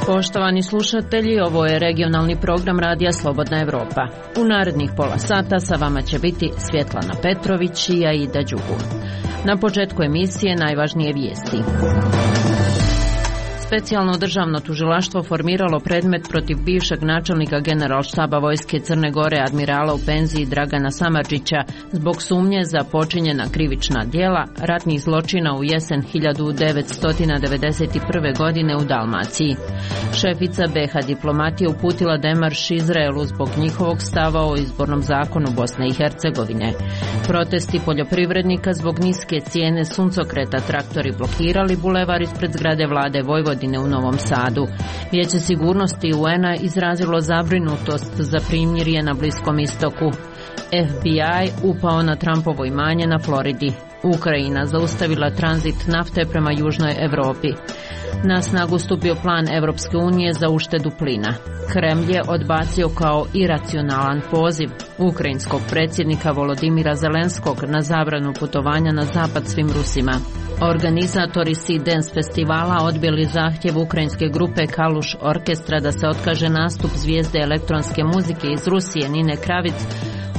Poštovani slušatelji, ovo je regionalni program Radija Slobodna Evropa. U narednih pola sata sa vama će biti Svjetlana Petrović i Aida Đugur. Na početku emisije najvažnije vijesti. Specijalno državno tužilaštvo formiralo predmet protiv bivšeg načelnika Generalštaba vojske Crne Gore admirala u penziji Dragana Samardžića zbog sumnje za počinjena krivična djela ratnih zločina u jesen 1991. godine u Dalmaciji. Šefica BiH diplomatije uputila demarš Izraelu zbog njihovog stava o izbornom zakonu Bosne i Hercegovine. Protesti poljoprivrednika zbog niske cijene suncokreta traktori blokirali bulevar ispred zgrade vlade Vojvodine u Novom Sadu. Vijeće sigurnosti UN-a izrazilo zabrinutost za primirje na Bliskom istoku. FBI upao na Trumpovo imanje na Floridi. Ukrajina zaustavila tranzit nafte prema Južnoj Europi. Na snagu stupio plan Evropske unije za uštedu plina. Kremlj je odbacio kao iracionalan poziv ukrajinskog predsjednika Volodimira Zelenskog na zabranu putovanja na zapad svim Rusima. Organizatori Sea Dance festivala odbili zahtjev ukrajinske grupe Kaluš Orkestra da se otkaže nastup zvijezde elektronske muzike iz Rusije Nine Kravic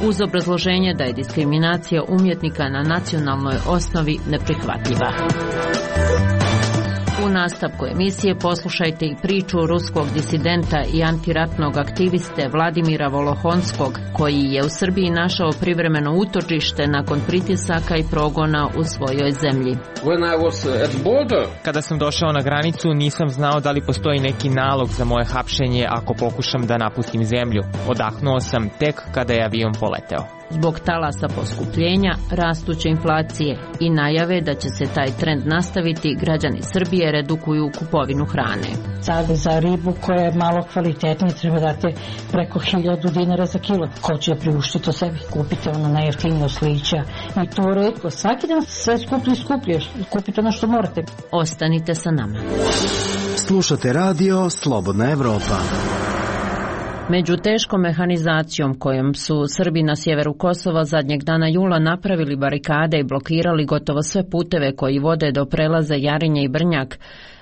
uz obrazloženje da je diskriminacija umjetnika na nacionalnoj osnovi neprihvatljiva. U nastavku emisije poslušajte i priču ruskog disidenta i antiratnog aktiviste Vladimira Volohonskog, koji je u Srbiji našao privremeno utočište nakon pritisaka i progona u svojoj zemlji. Kada sam došao na granicu, nisam znao da li postoji neki nalog za moje hapšenje ako pokušam da napustim zemlju. Odahnuo sam tek kada je avion poleteo. Zbog talasa poskupljenja, rastuće inflacije i najave da će se taj trend nastaviti, građani Srbije redukuju kupovinu hrane. Sad za ribu koja je malo kvalitetnija treba dati preko 1000 dinara za kilo. Ko će priuštiti to sebi? Kupite ono najjeftinije oslića i to retko. Svaki dan sve skuplje. Kupite ono što morate. Ostanite sa nama. Slušate radio Slobodna Evropa. Među teškom mehanizacijom kojom su Srbi na sjeveru Kosova zadnjeg dana jula napravili barikade i blokirali gotovo sve puteve koji vode do prelaza Jarinje i Brnjak,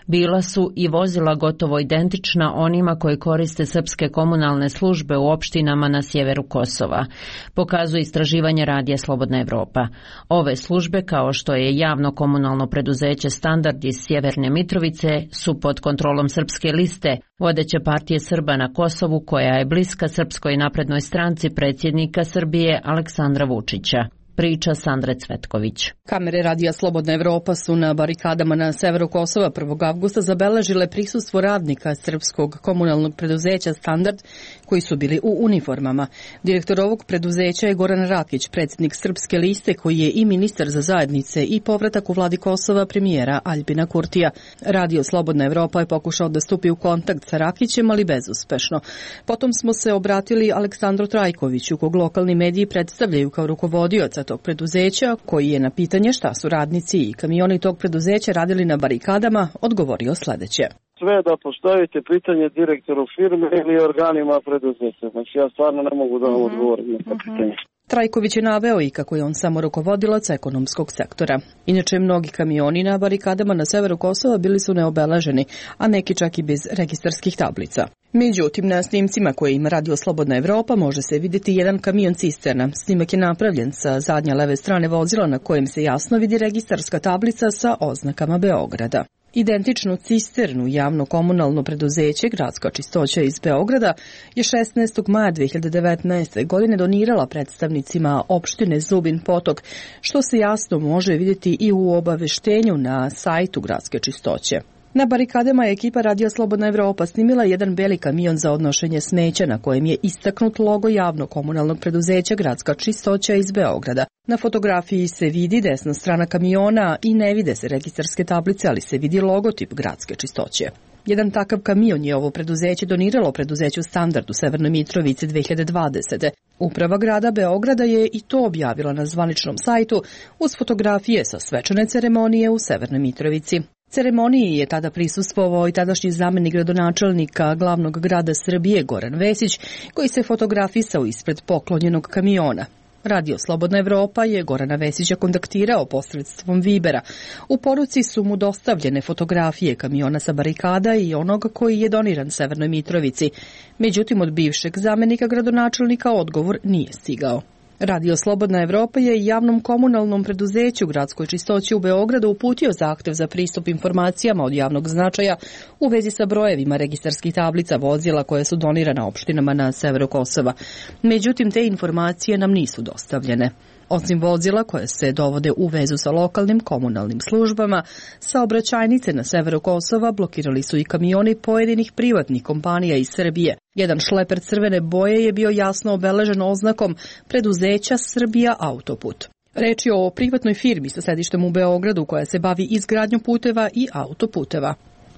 bila su i vozila gotovo identična onima koji koriste srpske komunalne službe u opštinama na sjeveru Kosova, pokazuje istraživanje Radija Slobodna Evropa. Ove službe, kao što je javno komunalno preduzeće Standard iz Sjeverne Mitrovice, su pod kontrolom Srpske liste, vodeće partije Srba na Kosovu, koja je bliska Srpskoj naprednoj stranci predsjednika Srbije Aleksandra Vučića. Priča Sandre Cvetković. Kamere Radija Slobodna Evropa su na barikadama na severu Kosova 1. avgusta zabeležile prisustvo radnika srpskog komunalnog preduzeća Standard koji su bili u uniformama. Direktor ovog preduzeća je Goran Rakić, predsjednik Srpske liste, koji je i ministar za zajednice i povratak u vladi Kosova premijera Aljbina Kurtija. Radio Slobodna Evropa je pokušao da stupi u kontakt sa Rakićem, ali bezuspešno. Potom smo se obratili Aleksandru Trajkoviću, kog lokalni mediji predstavljaju kao rukovodioca tog preduzeća, koji je na pitanje šta su radnici i kamioni tog preduzeća radili na barikadama odgovorio sljedeće. Sve da postavite pitanje direktoru firme ili organima preduzeća. Znači ja stvarno ne mogu da vam odgovorim na to pitanje. Trajković je naveo i kako je on samo rukovodilac ekonomskog sektora. Inače, mnogi kamioni na barikadama na severu Kosova bili su neobeleženi, a neki čak i bez registarskih tablica. Međutim, na snimcima koje ima Radio Slobodna Evropa može se vidjeti jedan kamion cisterna. Snimak je napravljen sa zadnje leve strane vozila na kojem se jasno vidi registarska tablica sa oznakama Beograda. Identičnu cisternu javno komunalno preduzeće Gradska čistoća iz Beograda je 16. maja 2019. godine donirala predstavnicima opštine Zubin Potok, što se jasno može vidjeti i u obaveštenju na sajtu Gradske čistoće. Na barikadama je ekipa Radio Slobodna Evropa snimila jedan beli kamion za odnošenje smeća na kojem je istaknut logo javno komunalnog preduzeća Gradska čistoća iz Beograda. Na fotografiji se vidi desna strana kamiona i ne vide se registarske tablice, ali se vidi logotip Gradske čistoće. Jedan takav kamion je ovo preduzeće doniralo preduzeću Standard u Severnoj Mitrovici 2020. Uprava grada Beograda je i to objavila na zvaničnom sajtu uz fotografije sa svečane ceremonije u Severnoj Mitrovici. Ceremoniji je tada prisustvovao i tadašnji zamenik gradonačelnika glavnog grada Srbije Goran Vesić, koji se fotografisao ispred poklonjenog kamiona. Radio Slobodna Evropa je Gorana Vesića kontaktirao posredstvom Vibera. U poruci su mu dostavljene fotografije kamiona sa barikada i onoga koji je doniran Severnoj Mitrovici. Međutim, od bivšeg zamenika gradonačelnika odgovor nije stigao. Radio Slobodna Evropa je javnom komunalnom preduzeću Gradskoj čistoći u Beogradu uputio zahtev za pristup informacijama od javnog značaja u vezi sa brojevima registarskih tablica vozila koje su donirana opštinama na severu Kosova. Međutim, te informacije nam nisu dostavljene. Osim vozila koje se dovode u vezu sa lokalnim komunalnim službama, saobraćajnice na severu Kosova blokirali su i kamioni pojedinih privatnih kompanija iz Srbije. Jedan šleper crvene boje je bio jasno obeležen oznakom preduzeća Srbija Autoput. Reč je o privatnoj firmi sa sedištem u Beogradu koja se bavi izgradnjom puteva i autoputeva.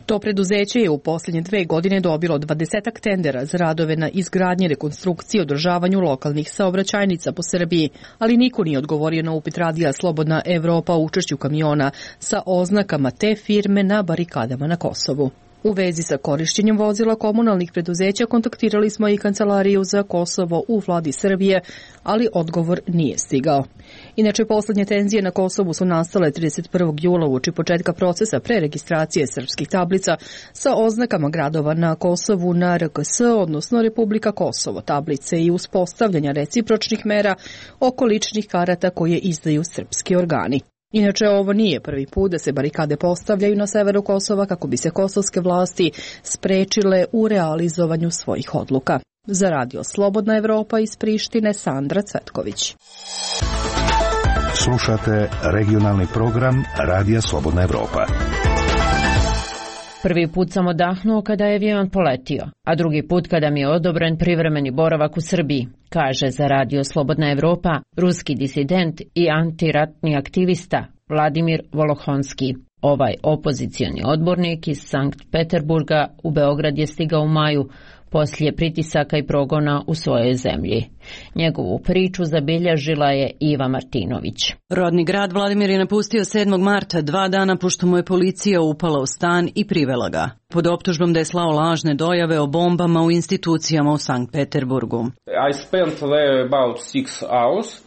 To preduzeće je u posljednje 2 godine dobilo 20 tendera za radove na izgradnji, rekonstrukciji i održavanju lokalnih saobraćajnica po Srbiji, ali niko nije odgovorio na upit Radija Slobodna Evropa o učešću kamiona sa oznakama te firme na barikadama na Kosovu. U vezi sa korišćenjem vozila komunalnih preduzeća kontaktirali smo i Kancelariju za Kosovo u vladi Srbije, ali odgovor nije stigao. Inače, poslednje tenzije na Kosovu su nastale 31. jula uoči početka procesa preregistracije srpskih tablica sa oznakama gradova na Kosovu na RKS, odnosno Republika Kosovo, tablice i uspostavljanja recipročnih mera oko ličnih karata koje izdaju srpski organi. Inače, ovo nije prvi put da se barikade postavljaju na severu Kosova kako bi se kosovske vlasti sprečile u realizovanju svojih odluka. Za Radio Slobodna Evropa iz Prištine, Sandra Cvetković. Slušate regionalni program Radija Slobodna Evropa. Prvi put sam odahnuo kada je avion poletio, a drugi put kada mi je odobren privremeni boravak u Srbiji, kaže za Radio Slobodna Evropa ruski disident i antiratni aktivista Vladimir Volohonski. Ovaj opozicioni odbornik iz Sankt Peterburga u Beograd je stigao u maju poslije pritisaka i progona u svojoj zemlji. Njegovu priču zabilježila je Iva Martinović. Rodni grad Vladimir je napustio 7. marta, 2 dana pošto mu je policija upala u stan i privela ga, pod optužbom da je slao lažne dojave o bombama u institucijama u Sankt Peterburgu.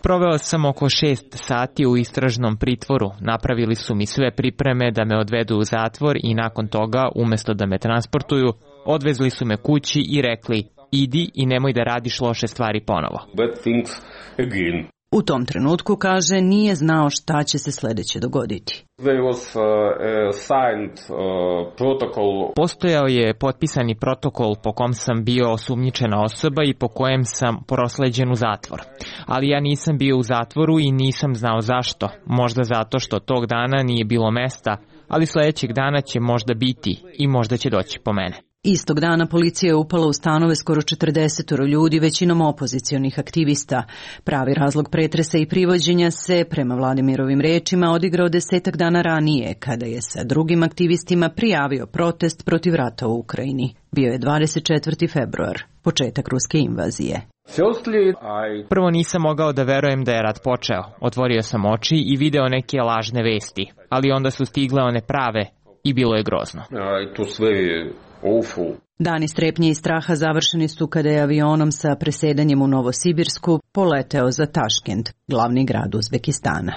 Proveo sam oko 6 sati u istražnom pritvoru. Napravili su mi sve pripreme da me odvedu u zatvor i nakon toga, umesto da me transportuju, odvezli su me kući i rekli: idi i nemoj da radiš loše stvari ponovo. U tom trenutku, kaže, nije znao šta će se sledeće dogoditi. Postojao je potpisani protokol po kom sam bio osumnjičena osoba i po kojem sam prosleđen u zatvor. Ali ja nisam bio u zatvoru i nisam znao zašto. Možda zato što tog dana nije bilo mesta, ali sledećeg dana će možda biti i možda će doći po mene. Istog dana policija je upala u stanove skoro 40 ljudi, većinom opozicionih aktivista. Pravi razlog pretresa i privođenja se, prema Vladimirovim rečima, odigrao 10 dana ranije, kada je sa drugim aktivistima prijavio protest protiv rata u Ukrajini. Bio je 24. februar, početak ruske invazije. Prvo nisam mogao da verujem da je rat počeo. Otvorio sam oči i video neke lažne vesti, ali onda su stigle one prave i bilo je grozno. Dani strepnje i straha završeni su kada je avionom sa presedanjem u Novosibirsku poleteo za Taškent, glavni grad Uzbekistana.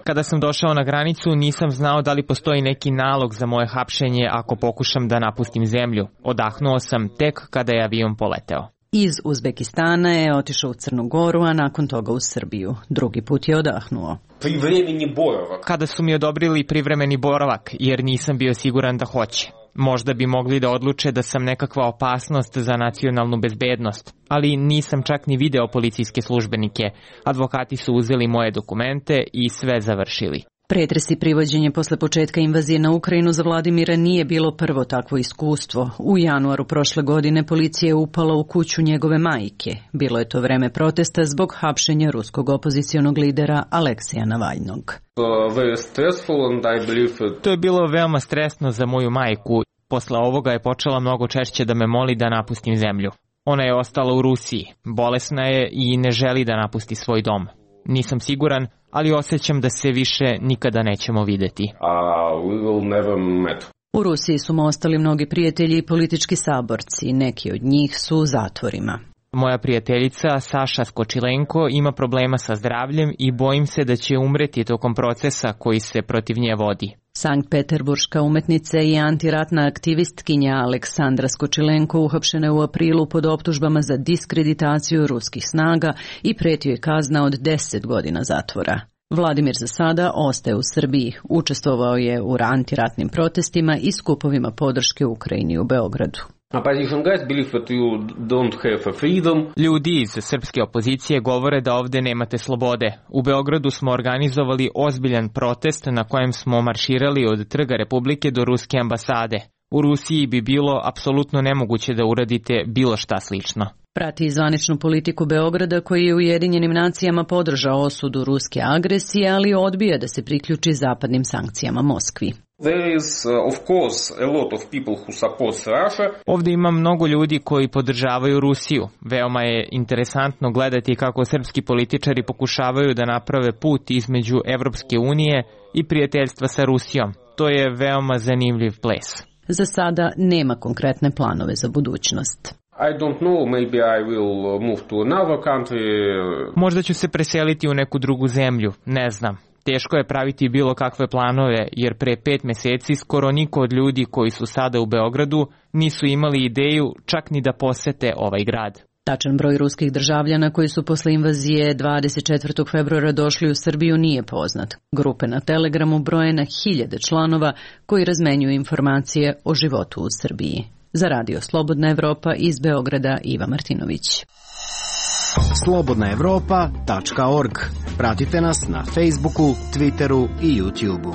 Kada sam došao na granicu, nisam znao da li postoji neki nalog za moje hapšenje ako pokušam da napustim zemlju. Odahnuo sam tek kada je avion poleteo. Iz Uzbekistana je otišao u Crnu Goru, a nakon toga u Srbiju. Drugi put je odahnuo. Kada su mi odobrili privremeni boravak, jer nisam bio siguran da hoće. Možda bi mogli da odluče da sam nekakva opasnost za nacionalnu bezbednost, ali nisam čak ni video policijske službenike. Advokati su uzeli moje dokumente i sve završili. Pretres i privođenje posle početka invazije na Ukrajinu za Vladimira nije bilo prvo takvo iskustvo. U januaru prošle godine policija je upala u kuću njegove majke. Bilo je to vreme protesta zbog hapšenja ruskog opozicionog lidera Aleksija Navalnog. To je bilo veoma stresno za moju majku. Posle ovoga je počela mnogo češće da me moli da napustim zemlju. Ona je ostala u Rusiji, bolesna je i ne želi da napusti svoj dom. Nisam siguran ali osjećam da se više nikada nećemo videti. U Rusiji su mu ostali mnogi prijatelji i politički saborci, neki od njih su u zatvorima. Moja prijateljica Saša Skočilenko ima problema sa zdravljem i bojim se da će umreti tokom procesa koji se protiv nje vodi. Sankt-Peterburška umetnica i antiratna aktivistkinja Aleksandra Skočilenko uhapšena je u aprilu pod optužbama za diskreditaciju ruskih snaga i pretio je kazna od 10 godina zatvora. Vladimir za sada ostaje u Srbiji. Učestvovao je u antiratnim protestima i skupovima podrške Ukrajini u Beogradu. Ljudi iz srpske opozicije govore da ovde nemate slobode. U Beogradu smo organizovali ozbiljan protest na kojem smo marširali od Trga Republike do Ruske ambasade. U Rusiji bi bilo apsolutno nemoguće da uradite bilo šta slično. Prati zvaničnu politiku Beograda koji je Ujedinjenim nacijama podržao osudu ruske agresije, ali odbija da se priključi zapadnim sankcijama Moskvi. Ovde ima mnogo ljudi koji podržavaju Rusiju. Veoma je interesantno gledati kako srpski političari pokušavaju da naprave put između Evropske unije i prijateljstva sa Rusijom. To je veoma zanimljiv ples. Za sada nema konkretne planove za budućnost. Možda ću se preseliti u neku drugu zemlju, ne znam. Teško je praviti bilo kakve planove, jer pre 5 meseci skoro niko od ljudi koji su sada u Beogradu nisu imali ideju čak ni da posete ovaj grad. Tačan broj ruskih državljana koji su posle invazije 24. februara došli u Srbiju nije poznat. Grupe na Telegramu broje na 1000 članova koji razmenjuju informacije o životu u Srbiji. Za Radio Slobodna Evropa iz Beograda Iva Martinović. slobodnaevropa.org. Pratite nas na Facebooku, Twitteru i YouTubeu.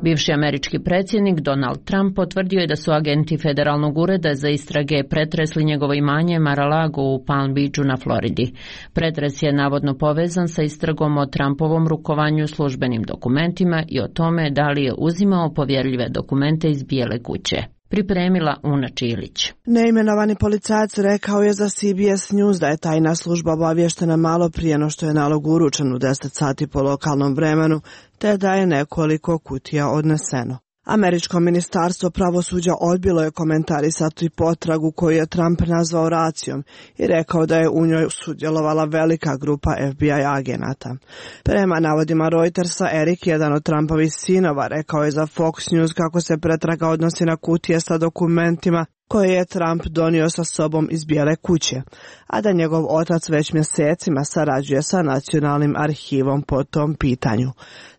Bivši američki predsjednik Donald Trump potvrdio je da su agenti Federalnog ureda za istrage pretresli njegovo imanje Mar-a-Lago u Palm Beachu na Floridi. Pretres je navodno povezan sa istragom o Trumpovom rukovanju službenim dokumentima i o tome da li je uzimao povjerljive dokumente iz Bijele kuće. Pripremila Una Čilić. Neimenovani policajac rekao je za CBS News da je tajna služba obavještena malo prije no što je nalog uručen u 10 sati po lokalnom vremenu, te da je nekoliko kutija odneseno. Američko ministarstvo pravosuđa odbilo je komentarisati potragu koju je Trump nazvao racijom i rekao da je u njoj sudjelovala velika grupa FBI agenata. Prema navodima Reutersa, Erik, jedan od Trumpovih sinova, rekao je za Fox News kako se pretraga odnosi na kutije sa dokumentima koje je Trump donio sa sobom iz Bijele kuće, a da njegov otac već mjesecima sarađuje sa Nacionalnim arhivom po tom pitanju.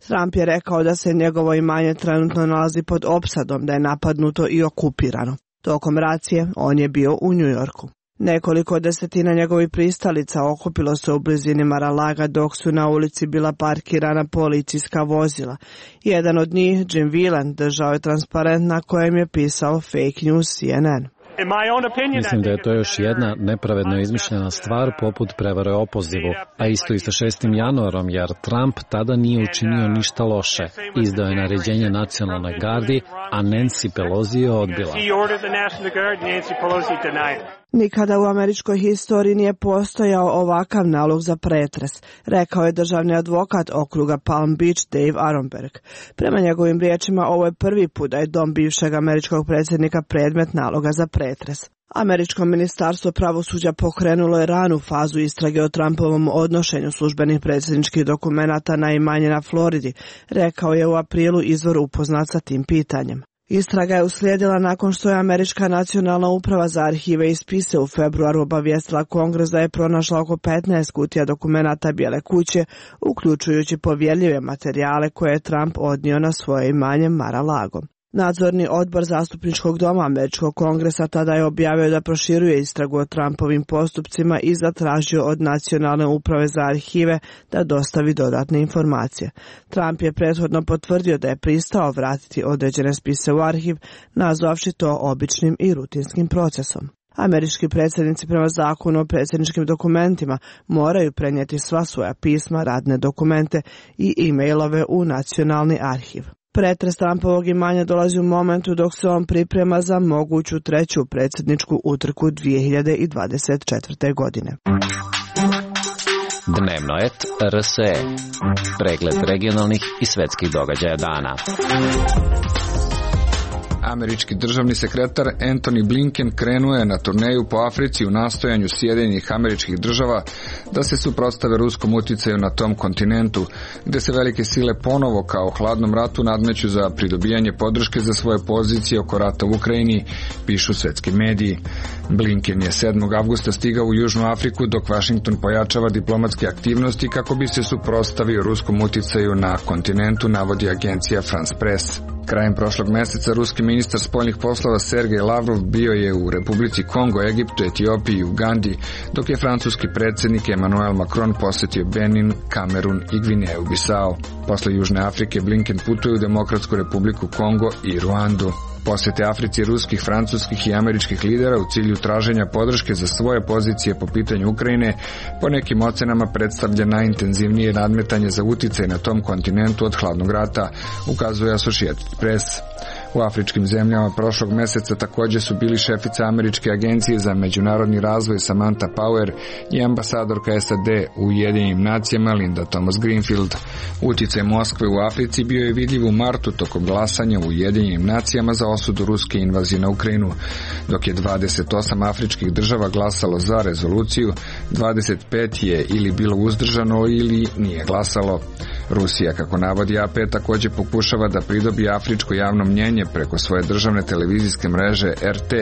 Trump je rekao da se njegovo imanje trenutno nalazi pod opsadom, da je napadnuto i okupirano. Tokom racije on je bio u New Yorku. Nekoliko desetina njegovih pristalica okupilo se u blizini Mar-a-Laga dok su na ulici bila parkirana policijska vozila. Jedan od njih, Jim Whelan, držao je transparent na kojem je pisao Fake News CNN. Mislim da je to još jedna nepravedno izmišljena stvar poput prevare o opozivu, a isto i sa 6. januarom, jer Trump tada nije učinio ništa loše. Izdao je naređenje nacionalnoj gardi, a Nancy Pelosi je odbila. Nikada u američkoj historiji nije postojao ovakav nalog za pretres, rekao je državni advokat okruga Palm Beach Dave Aronberg. Prema njegovim riječima, ovo je prvi put da je dom bivšeg američkog predsjednika predmet naloga za pretres. Američko ministarstvo pravosuđa pokrenulo je ranu fazu istrage o Trumpovom odnošenju službenih predsjedničkih dokumenata na imanje na Floridi, rekao je u aprilu izvor upoznat sa tim pitanjem. Istraga je uslijedila nakon što je Američka nacionalna uprava za arhive i spise u februaru obavijestila Kongres da je pronašla oko 15 kutija dokumenata Bijele kuće, uključujući povjerljive materijale koje je Trump odnio na svoje imanje Mar-a-Lago. Nadzorni odbor zastupničkog doma Američkog kongresa tada je objavio da proširuje istragu o Trumpovim postupcima i zatražio od Nacionalne uprave za arhive da dostavi dodatne informacije. Trump je prethodno potvrdio da je pristao vratiti određene spise u arhiv, nazvavši to običnim i rutinskim procesom. Američki predsjednici prema zakonu o predsjedničkim dokumentima moraju prenijeti sva svoja pisma, radne dokumente i e-mailove u Nacionalni arhiv. Pretres Trumpovog imanja dolazi u momentu dok se on priprema za moguću treću predsjedničku utrku 2024. godine. Dnevnoet.rs. Pregled regionalnih i svetskih događaja dana. Američki državni sekretar Antony Blinken krenuo je na turneju po Africi u nastojanju Sjedinjenih Američkih Država da se suprotstave ruskom uticaju na tom kontinentu, gde se velike sile ponovo kao u hladnom ratu nadmeću za pridobijanje podrške za svoje pozicije oko rata u Ukrajini, pišu svetski mediji. Blinken je 7. avgusta stigao u Južnu Afriku dok Washington pojačava diplomatske aktivnosti kako bi se suprotstavio ruskom uticaju na kontinentu, navodi agencija France Press. Krajem prošlog meseca ruski ministar spoljnih poslova Sergej Lavrov bio je u Republici Kongo, Egiptu, Etiopiji i Ugandi, dok je francuski predsjednik Emmanuel Macron posjetio Benin, Kamerun i Gvineju Bisao. Posle Južne Afrike Blinken putuje u Demokratsku Republiku Kongo i Ruandu. Posjete Africi ruskih, francuskih i američkih lidera u cilju traženja podrške za svoje pozicije po pitanju Ukrajine po nekim ocenama predstavlja najintenzivnije nadmetanje za uticaj na tom kontinentu od hladnog rata, ukazuje Associated Press. U afričkim zemljama prošlog meseca također su bili šefica Američke agencije za međunarodni razvoj Samantha Power i ambasadorka SAD u Ujedinjenim nacijama Linda Thomas-Greenfield. Uticaj Moskve u Africi bio je vidljiv u martu tokom glasanja u Ujedinjenim nacijama za osudu ruske invazije na Ukrajinu. Dok je 28 afričkih država glasalo za rezoluciju, 25 je ili bilo uzdržano ili nije glasalo. Rusija, kako navodi AP, također pokušava da pridobije afričko javno mnjenje preko svoje državne televizijske mreže RT,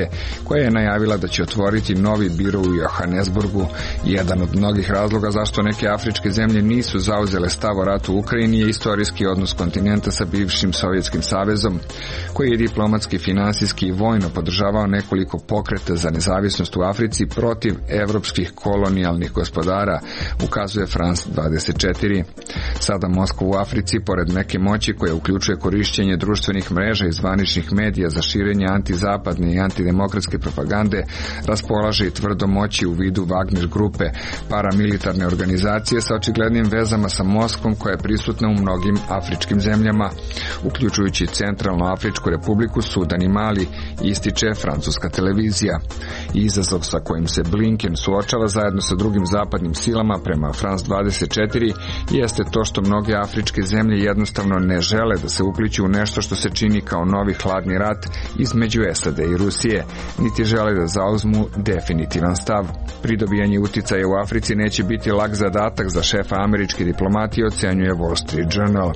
koja je najavila da će otvoriti novi biro u Johannesburgu. Jedan od mnogih razloga zašto neke afričke zemlje nisu zauzele stav o ratu u Ukrajini je istorijski odnos kontinenta sa bivšim Sovjetskim savezom, koji je diplomatski, finansijski i vojno podržavao nekoliko pokreta za nezavisnost u Africi protiv evropskih kolonijalnih gospodara, ukazuje France 24. Sada Moskva u Africi, pored neke moći koja uključuje korišćenje društvenih mreža i zvaničnih medija za širenje antizapadne i antidemokratske propagande, raspolaže i tvrdo moći u vidu Wagner grupe, paramilitarne organizacije sa očiglednim vezama sa Moskvom koja je prisutna u mnogim afričkim zemljama, uključujući Centralnu Afričku republiku, Sudan i Mali, ističe francuska televizija. Izazov sa kojim se Blinken suočava zajedno sa drugim zapadnim silama prema France 24 jeste to što mnoge afričke zemlje jednostavno ne žele da se upliću u nešto što se čini kao novi hladni rat između SAD i Rusije, niti žele da zauzmu definitivan stav. Pridobijanje uticaja u Africi neće biti lak zadatak za šefa američke diplomatije, ocenjuje Wall Street Journal.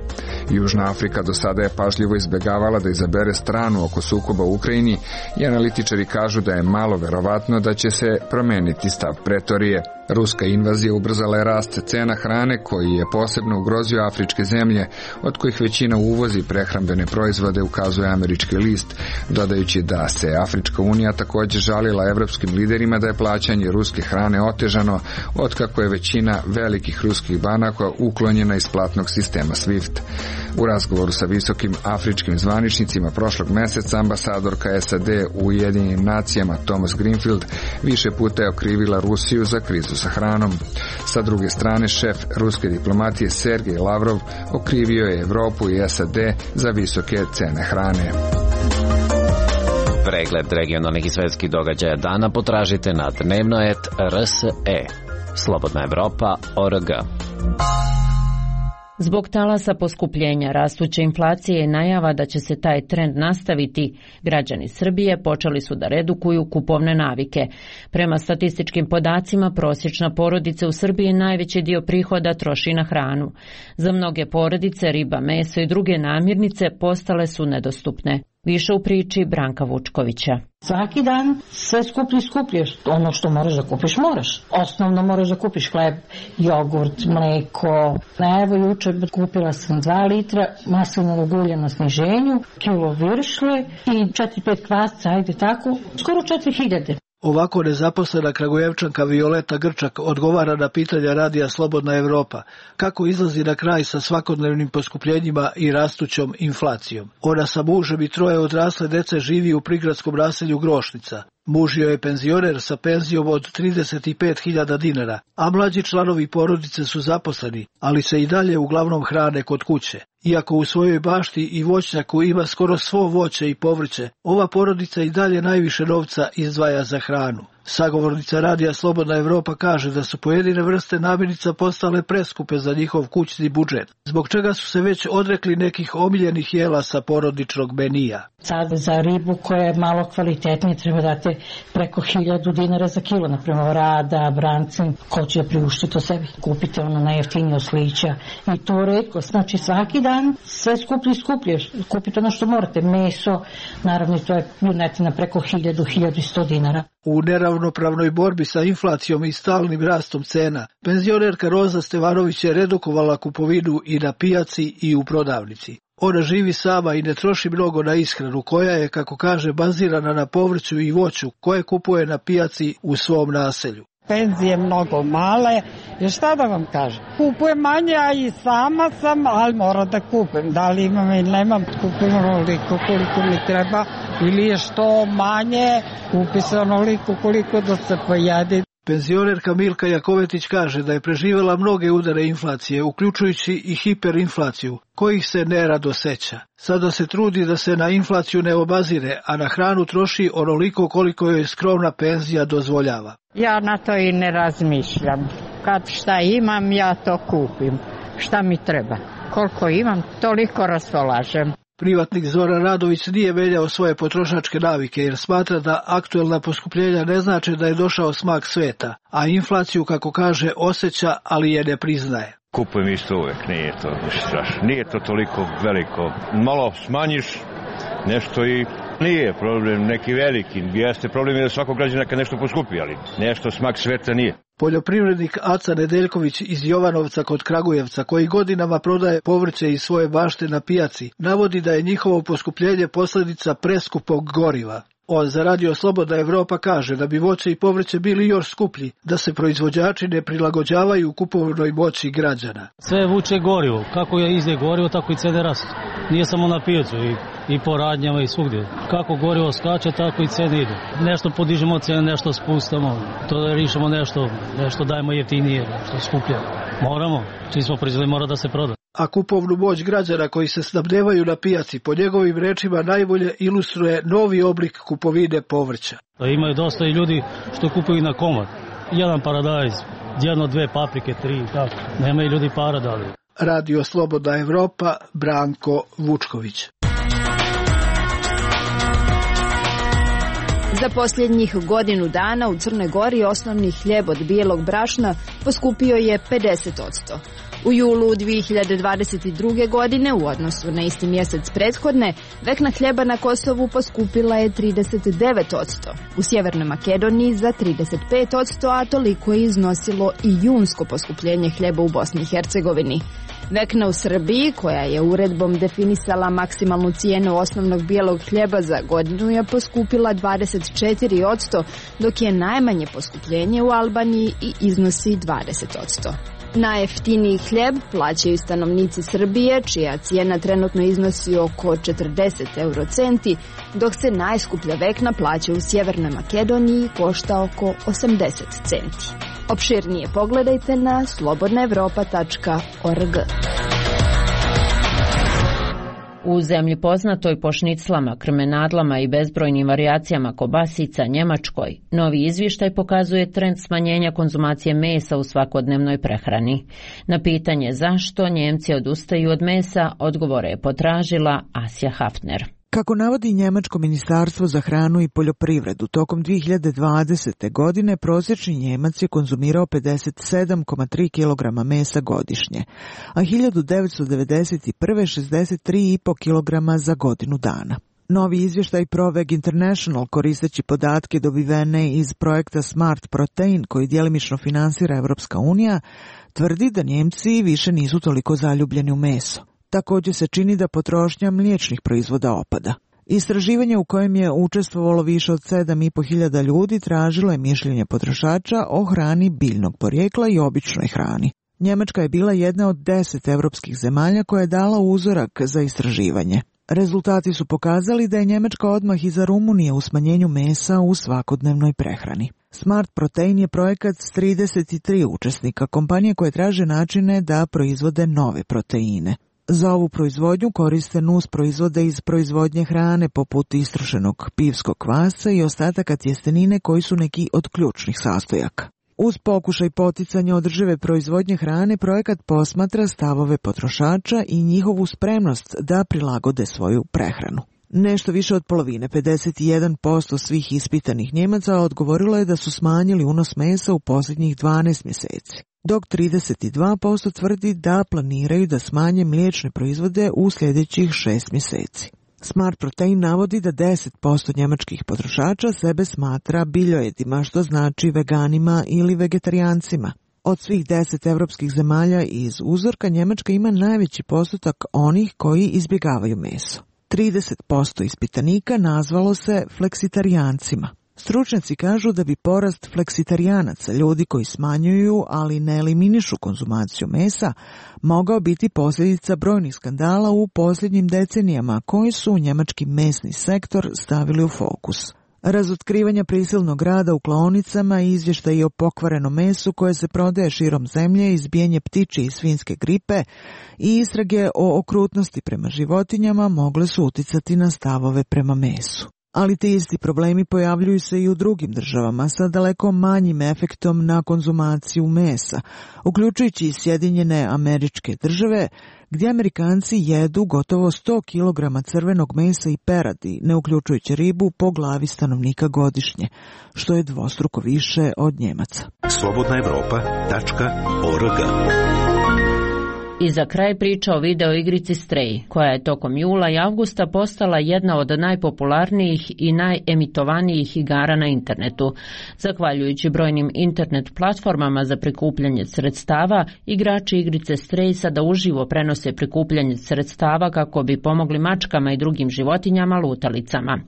Južna Afrika do sada je pažljivo izbjegavala da izabere stranu oko sukoba u Ukrajini i analitičari kažu da je malo verovatno da će se promeniti stav Pretorije. Ruska invazija ubrzala je rast cena hrane koji je posebno ugrozio afričke zemlje, od kojih većina uvozi prehrambene proizvode, ukazuje američki list, dodajući da se Afrička unija također žalila evropskim liderima da je plaćanje ruske hrane otežano otkako je većina velikih ruskih banaka uklonjena iz platnog sistema SWIFT. U razgovoru sa visokim afričkim zvaničnicima prošlog meseca ambasadorka SAD u Ujedinjenim nacijama Thomas Greenfield više puta je okrivila Rusiju za krizu sa hranom. Sa druge strane, šef ruske diplomatije Sergej Lavrov okrivio je Evropu i SAD za visoke cene hrane. Pregled regionalnih i svetskih događaja dana potražite na Dnevnoet.rs. Slobodna Evropa.org. Zbog talasa poskupljenja, rastuće inflacije i najava da će se taj trend nastaviti, građani Srbije počeli su da redukuju kupovne navike. Prema statističkim podacima, prosječna porodica u Srbiji najveći dio prihoda troši na hranu. Za mnoge porodice riba, meso i druge namirnice postale su nedostupne. Više u priči Branka Vučkovića. Svaki dan sve skuplje. Ono što moraš da kupiš, moraš. Osnovno moraš da kupiš hleb, jogurt, mleko. Evo juče kupila sam 2 litra maslinovog ulja na sniženju, kilo viršle i 4-5 kvasca, ajde tako, skoro 4000. Ovako nezaposlena Kragujevčanka Violeta Grčak odgovara na pitanja radija Slobodna Evropa kako izlazi na kraj sa svakodnevnim poskupljenjima i rastućom inflacijom. Ona sa mužem i 3 odrasle dece živi u prigradskom naselju Grošnica. Muž joj je penzioner sa penzijom od 35.000 dinara, a mlađi članovi porodice su zaposleni, ali se i dalje uglavnom hrane kod kuće. Iako u svojoj bašti i voćnjaku ima skoro svo voće i povrće, ova porodica i dalje najviše novca izdvaja za hranu. Sagovornica radija Slobodna Evropa kaže da su pojedine vrste namirnica postale preskupe za njihov kućni budžet, zbog čega su se već odrekli nekih omiljenih jela sa porodičnog menija. Sad za ribu koja je malo kvalitetnije treba dati preko 1000 dinara za kilo, naprimjer rada, brancin, ko će priuštiti to sebi. Kupite ono najjeftinije oslića i to retko, znači svaki dan sve skuplje, kupite ono što morate, meso, naravno to je junetina preko 1000-1100 dinara. U neravnopravnoj borbi sa inflacijom i stalnim rastom cena, penzionerka Roza Stevanović je redukovala kupovinu i na pijaci i u prodavnici. Ona živi sama i ne troši mnogo na ishranu, koja je, kako kaže, bazirana na povrću i voću koje kupuje na pijaci u svom naselju. Penzije mnogo male, jer šta da vam kažem? Kupujem manje, a i sama sam, ali moram da kupim. Da li imam ili nemam, kupim onoliko koliko mi treba, ili je što manje, kupi se onoliko koliko da se pojede. Penzionerka Milka Jakovetić kaže da je preživjela mnoge udare inflacije, uključujući i hiperinflaciju, kojih se nerado seća. Sada se trudi da se na inflaciju ne obazire, a na hranu troši onoliko koliko joj skromna penzija dozvoljava. Ja na to i ne razmišljam. Kad šta imam, ja to kupim. Šta mi treba? Koliko imam, toliko raspolažem. Privatnik Zoran Radović nije menjao svoje potrošačke navike jer smatra da aktuelna poskupljenja ne znači da je došao smak sveta, a inflaciju, kako kaže, osjeća, ali je ne priznaje. Kupujem isto uvek, nije to ništa strašno. Nije to toliko veliko. Malo smanjiš nešto i nije problem neki veliki. Jeste problem je da svakog građana kad nešto poskupi, ali nešto smak sveta nije. Poljoprivrednik Aca Nedeljković iz Jovanovca kod Kragujevca, koji godinama prodaje povrće iz svoje bašte na pijaci, navodi da je njihovo poskupljenje posljedica preskupog goriva. On za Radio Slobodna Evropa kaže da bi voće i povrće bili još skuplji, da se proizvođači ne prilagođavaju kupovnoj moći građana. Sve vuče gorivo. Kako je ide gorivo, tako i cene rastu. Nije samo na pijacu i po radnjama i svugdje. Kako gorivo skače, tako i cene idu. Nešto podižemo cene, nešto spustamo. To da rišemo nešto dajemo jeftinije, nešto skuplje. Moramo. Čim smo proizveli, mora da se proda. A kupovnu moć građana koji se snabdevaju na pijaci, po njegovim rečima, najbolje ilustruje novi oblik kupovine povrća. Imaju dosta i ljudi što kupuju na komad. Jedan paradajz, 1-2 paprike, 3, tako. Nemaju ljudi para da li. Radio Slobodna Evropa, Branko Vučković. Za posljednjih godinu dana u Crnoj Gori osnovni hljeb od bijelog brašna poskupio je 50%. U julu 2022. godine u odnosu na isti mjesec prethodne, vekna hljeba na Kosovu poskupila je 39%, u Sjevernoj Makedoniji za 35%, a toliko je iznosilo i junsko poskupljenje hljeba u Bosni i Hercegovini. Vekna u Srbiji, koja je uredbom definisala maksimalnu cijenu osnovnog bijelog hljeba za godinu, je poskupila 24%, dok je najmanje poskupljenje u Albaniji i iznosi 20%. Najjeftiniji hljeb plaćaju stanovnici Srbije, čija cijena trenutno iznosi oko 40 eurocenti, dok se najskuplja vekna plaća u Sjevernoj Makedoniji i košta oko 80 centi. Opširnije pogledajte na slobodnaevropa.org. U zemlji poznatoj po šniclama, krmenadlama i bezbrojnim varijacijama kobasica Njemačkoj, novi izvještaj pokazuje trend smanjenja konzumacije mesa u svakodnevnoj prehrani. Na pitanje zašto Njemci odustaju od mesa, odgovore je potražila Asja Hafner. Kako navodi Njemačko ministarstvo za hranu i poljoprivredu, tokom 2020. godine prosječni Njemac je konzumirao 57,3 kg mesa godišnje, a 1991. 63,5 kg za godinu dana. Novi izvještaj Proveg International, koristeći podatke dobivene iz projekta Smart Protein, koji djelimično finansira Evropska unija, tvrdi da Njemci više nisu toliko zaljubljeni u meso. Također se čini da potrošnja mliječnih proizvoda opada. Istraživanje u kojem je učestvovalo više od 7.500 ljudi tražilo je mišljenje potrošača o hrani biljnog porijekla i običnoj hrani. Njemačka je bila jedna od 10 evropskih zemalja koja je dala uzorak za istraživanje. Rezultati su pokazali da je Njemačka odmah iza Rumunije u smanjenju mesa u svakodnevnoj prehrani. Smart Protein je projekat s 33 učesnika, kompanije koje traže načine da proizvode nove proteine. Za ovu proizvodnju koriste nus proizvode iz proizvodnje hrane poput istrošenog pivskog kvasca i ostataka tjestenine koji su neki od ključnih sastojaka. Uz pokušaj poticanja održive proizvodnje hrane, projekat posmatra stavove potrošača i njihovu spremnost da prilagode svoju prehranu. Nešto više od polovine, 51% svih ispitanih Njemaca odgovorilo je da su smanjili unos mesa u posljednjih 12 mjeseci, dok 32% tvrdi da planiraju da smanje mliječne proizvode u sljedećih 6 mjeseci. Smart Protein navodi da 10% njemačkih potrošača sebe smatra biljojedima, što znači veganima ili vegetarijancima. Od svih 10 evropskih zemalja iz uzorka, Njemačka ima najveći postotak onih koji izbjegavaju meso. 30% ispitanika nazvalo se fleksitarijancima. Stručnjaci kažu da bi porast fleksitarijanaca, ljudi koji smanjuju, ali ne eliminišu konzumaciju mesa, mogao biti posljedica brojnih skandala u posljednjim decenijama koji su njemački mesni sektor stavili u fokus. Razotkrivanja prisilnog rada u klaonicama, izvještaji o pokvarenom mesu koje se prodaje širom zemlje, izbijanje ptičje i svinjske gripe i istrage o okrutnosti prema životinjama mogle su uticati na stavove prema mesu. Ali ti isti problemi pojavljuju se i u drugim državama sa daleko manjim efektom na konzumaciju mesa, uključujući i Sjedinjene Američke Države, gdje Amerikanci jedu gotovo 100 kg crvenog mesa i peradi, ne uključujući ribu, po glavi stanovnika godišnje, što je dvostruko više od Njemaca. slobodnaevropa.org. I za kraj priča o videoigrici Stray, koja je tokom jula i avgusta postala jedna od najpopularnijih i najemitovanijih igara na internetu. Zahvaljujući brojnim internet platformama za prikupljanje sredstava, igrači igrice Stray sada uživo prenose prikupljanje sredstava kako bi pomogli mačkama i drugim životinjama lutalicama.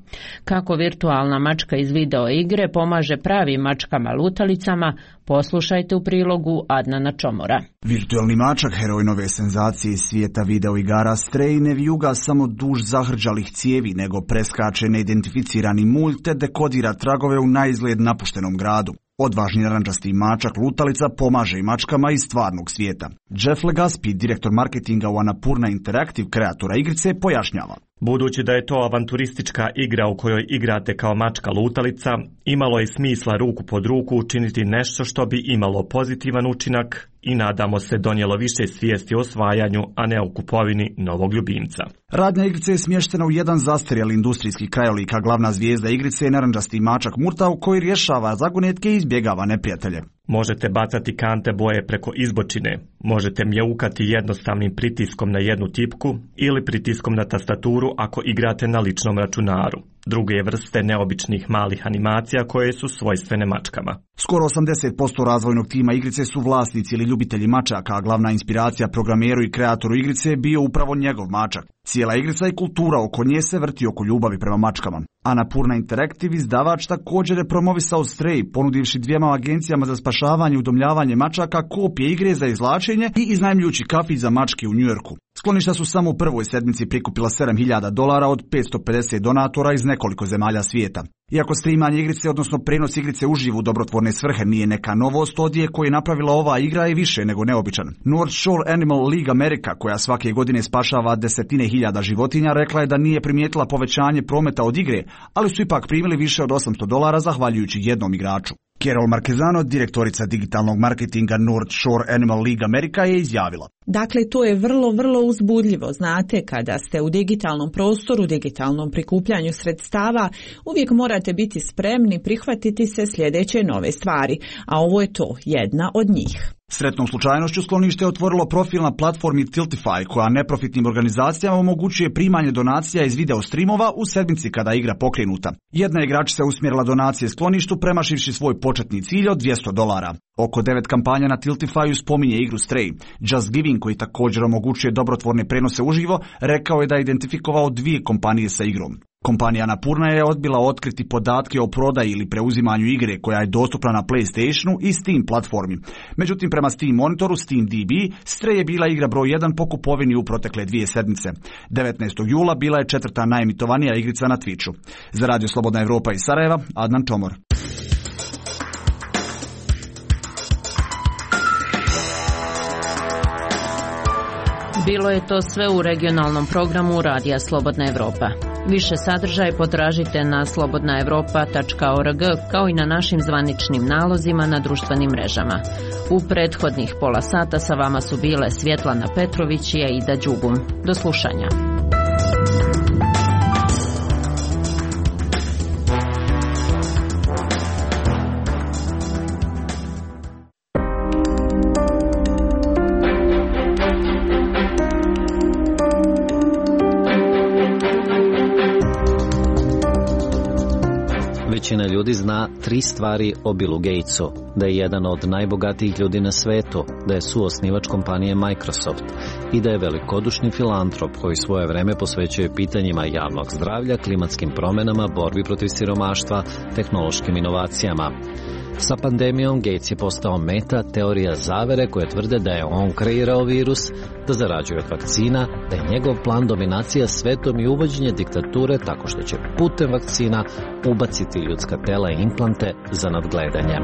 Kako virtualna mačka iz video igre pomaže pravim mačkama lutalicama, poslušajte u prilogu Adnana Čomora. Virtualni mačak, heroj nove senzacije iz svijeta videoigara Stray, ne vijuga samo duž zahrđalih cijevi, nego preskače neidentificirani mulj te dekodira tragove u naizgled napuštenom gradu. Odvažni narančasti mačak lutalica pomaže i mačkama iz stvarnog svijeta. Jeff Legaspi, direktor marketinga u Annapurna Interactive, kreatora igrice, pojašnjava. Budući da je to avanturistička igra u kojoj igrate kao mačka lutalica, imalo je smisla ruku pod ruku učiniti nešto što bi imalo pozitivan učinak i nadamo se donijelo više svijesti o osvajanju, a ne o kupovini novog ljubimca. Radnja igrice je smještena u jedan zastarjeli industrijski krajolik, a glavna zvijezda igrice je narančasti mačak Murtav koji rješava zagonetke i izbjegava neprijatelje. Možete bacati kante boje preko izbočine, možete mjaukati jednostavnim pritiskom na jednu tipku ili pritiskom na tastaturu ako igrate na ličnom računaru. Druge vrste neobičnih malih animacija koje su svojstvene mačkama. Skoro 80% razvojnog tima igrice su vlasnici ili ljubitelji mačaka, a glavna inspiracija programeru i kreatoru igrice je bio upravo njegov mačak. Cijela igrica i kultura oko nje se vrti oko ljubavi prema mačkama. Annapurna Interactive, izdavač, također je promovisao Stray, ponudivši dvijema agencijama za spašavanje i udomljavanje mačaka kopije igre za izvlačenje i iznajmljujući kafić za mačke u Njujorku. Skloništa su samo u prvoj sedmici prikupila $7.000 od 550 donatora iz nekoliko zemalja svijeta. Iako streamanje igrice, odnosno prenos igrice uživo u dobrotvorne svrhe nije neka novost, odjek koji je napravila ova igra je više nego neobičan. North Shore Animal League America, koja svake godine spašava desetine hiljada životinja, rekla je da nije primijetila povećanje prometa od igre, ali su ipak primili više od $800 zahvaljujući jednom igraču. Carol Marquezano, direktorica digitalnog marketinga North Shore Animal League America, je izjavila. Dakle, to je vrlo uzbudljivo. Znate, kada ste u digitalnom prostoru, digitalnom prikupljanju sredstava, uvijek morate biti spremni prihvatiti se sljedeće nove stvari, a ovo je to, jedna od njih. Sretnom slučajnošću sklonište je otvorilo profil na platformi Tiltify, koja neprofitnim organizacijama omogućuje primanje donacija iz video streamova u sedmici kada je igra pokrenuta. Jedna igračica je usmjerila donacije skloništu premašivši svoj početni cilj od $200. Oko 9 kampanja na Tiltifyu spominje igru Stray. Just Giving, koji također omogućuje dobrotvorne prenose uživo, rekao je da je identifikovao 2 kompanije sa igrom. Kompanija Annapurna je odbila otkriti podatke o prodaji ili preuzimanju igre koja je dostupna na PlayStationu i Steam platformi. Međutim, prema Steam monitoru SteamDB, Stray je bila igra broj 1 po kupovini u protekle 2 sedmice. 19. jula bila je 4. najemitovanija igrica na Twitchu. Za Radio Slobodna Evropa iz Sarajeva, Adnan Čomor. Bilo je to sve u regionalnom programu Radija Slobodna Evropa. Više sadržaja potražite na slobodnaevropa.org kao i na našim zvaničnim nalozima na društvenim mrežama. U prethodnih pola sata sa vama su bile Svjetlana Petrović i Aida Đugum. Do slušanja. Većina ljudi zna 3 stvari o Billu Gatesu: da je jedan od najbogatijih ljudi na svetu, da je suosnivač kompanije Microsoft i da je velikodušni filantrop koji svoje vreme posvećuje pitanjima javnog zdravlja, klimatskim promjenama, borbi protiv siromaštva, tehnološkim inovacijama. Sa pandemijom Gates je postao meta teorija zavere koje tvrde da je on kreirao virus, da zarađuje od vakcina, da je njegov plan dominacija svetom i uvođenje diktature tako što će putem vakcina ubaciti ljudska tela i implante za nadgledanje.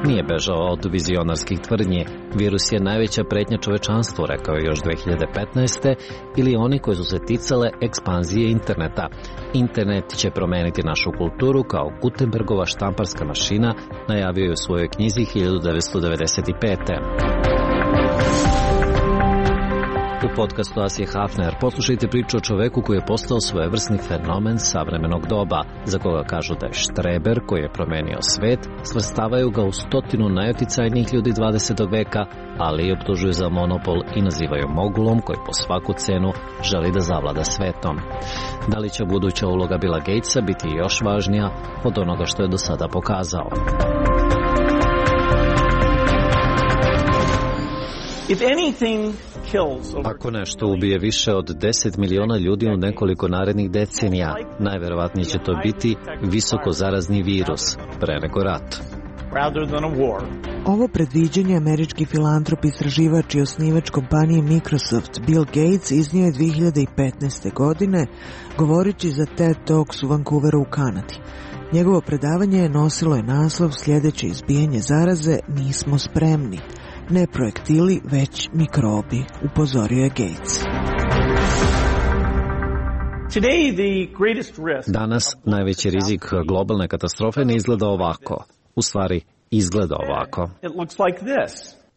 Nije bežao od vizionarskih tvrdnji. Virus je najveća pretnja čovečanstvu, rekao je još 2015. ili oni koji su se ticale ekspanzije interneta. Internet će promeniti našu kulturu kao Gutenbergova štamparska mašina, najavio je u svojoj knjizi 1995. U podcastu Asije Hafner poslušajte priču o čoveku koji je postao svojevrsni fenomen savremenog doba, za koga kažu da je štreber koji je promenio svet, svrstavaju ga u 100 najoticajnijih ljudi 20. veka, ali i optužuju za monopol i nazivaju mogulom koji po svaku cenu želi da zavlada svetom. Da li će buduća uloga Billa Gatesa biti još važnija od onoga što je do sada pokazao? Ako nešto ubije više od 10 miliona ljudi u nekoliko narednih decenija, najverovatnije će to biti visoko zarazni virus, pre nego rat. Ovo predviđanje američki filantrop, istraživač i osnivač kompanije Microsoft Bill Gates iznio je 2015. godine, govoreći za TED Talks u Vancouveru u Kanadi. Njegovo predavanje nosilo je naslov sljedeće izbijanje zaraze: nismo spremni. Ne projektili, već mikrobi, upozorio je Gates. Danas najveći rizik globalne katastrofe ne izgleda ovako. U stvari, izgleda ovako.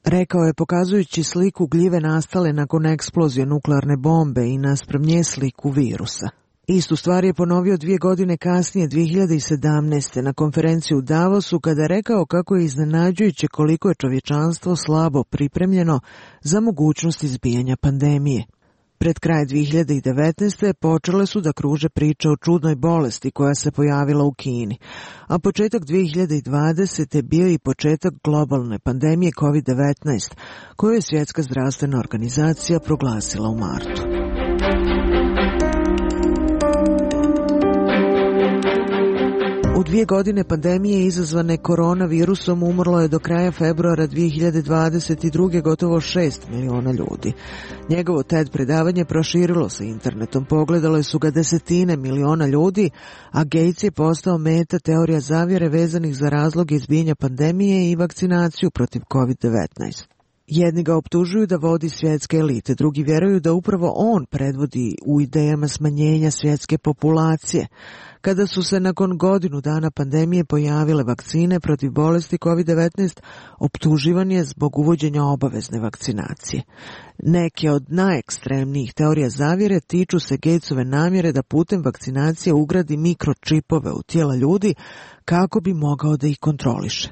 Rekao je pokazujući sliku gljive nastale nakon eksplozije nuklearne bombe i naspram nje sliku virusa. Istu stvar je ponovio 2 godine kasnije, 2017. na konferenciji u Davosu, kada je rekao kako je iznenađujuće koliko je čovječanstvo slabo pripremljeno za mogućnost izbijanja pandemije. Pred kraj 2019. počele su da kruže priče o čudnoj bolesti koja se pojavila u Kini, a početak 2020. bio i početak globalne pandemije COVID-19, koju je Svjetska zdravstvena organizacija proglasila u martu. U 2 godine pandemije izazvane koronavirusom umrlo je do kraja februara 2022. gotovo 6 miliona ljudi. Njegovo TED predavanje proširilo se internetom, pogledale su ga 10 miliona ljudi, a Gates je postao meta teorija zavjere vezanih za razloge izbijanja pandemije i vakcinaciju protiv COVID-19. Jedni ga optužuju da vodi svjetske elite, drugi vjeruju da upravo on predvodi u idejama smanjenja svjetske populacije. Kada su se nakon godinu dana pandemije pojavile vakcine protiv bolesti COVID-19, optuživan je zbog uvođenja obavezne vakcinacije. Neke od najekstremnijih teorija zavjere tiču se Gatesove namjere da putem vakcinacije ugradi mikročipove u tijela ljudi kako bi mogao da ih kontroliše.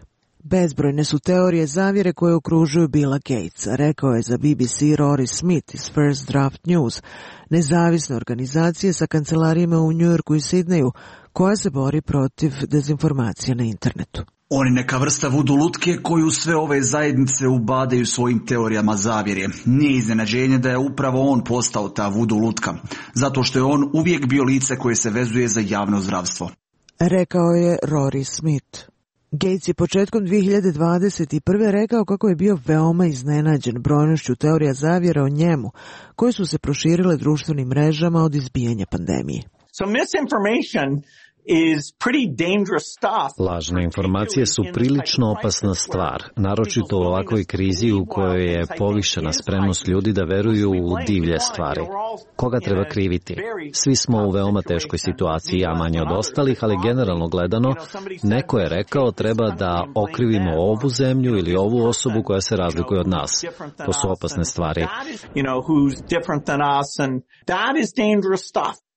Bezbrojne su teorije zavjere koje okružuju Billa Gatesa, rekao je za BBC Rory Smith iz First Draft News, nezavisne organizacije sa kancelarijama u New Yorku i Sidneju, koja se bori protiv dezinformacija na internetu. On je neka vrsta vudu lutke koju sve ove zajednice ubadaju svojim teorijama zavjere. Nije iznenađenje da je upravo on postao ta vudu lutka, zato što je on uvijek bio lice koje se vezuje za javno zdravstvo. Rekao je Rory Smith. Gates je početkom 2021. rekao kako je bio veoma iznenađen brojnošću teorija zavjera o njemu, koje su se proširile društvenim mrežama od izbijanja pandemije. So misinformation Lažne informacije su prilično opasna stvar, naročito u ovakvoj krizi u kojoj je povišena spremnost ljudi da veruju u divlje stvari. Koga treba kriviti? Svi smo u veoma teškoj situaciji, ja manje od ostalih, ali generalno gledano, neko je rekao treba da okrivimo ovu zemlju ili ovu osobu koja se razlikuje od nas. To su opasne stvari.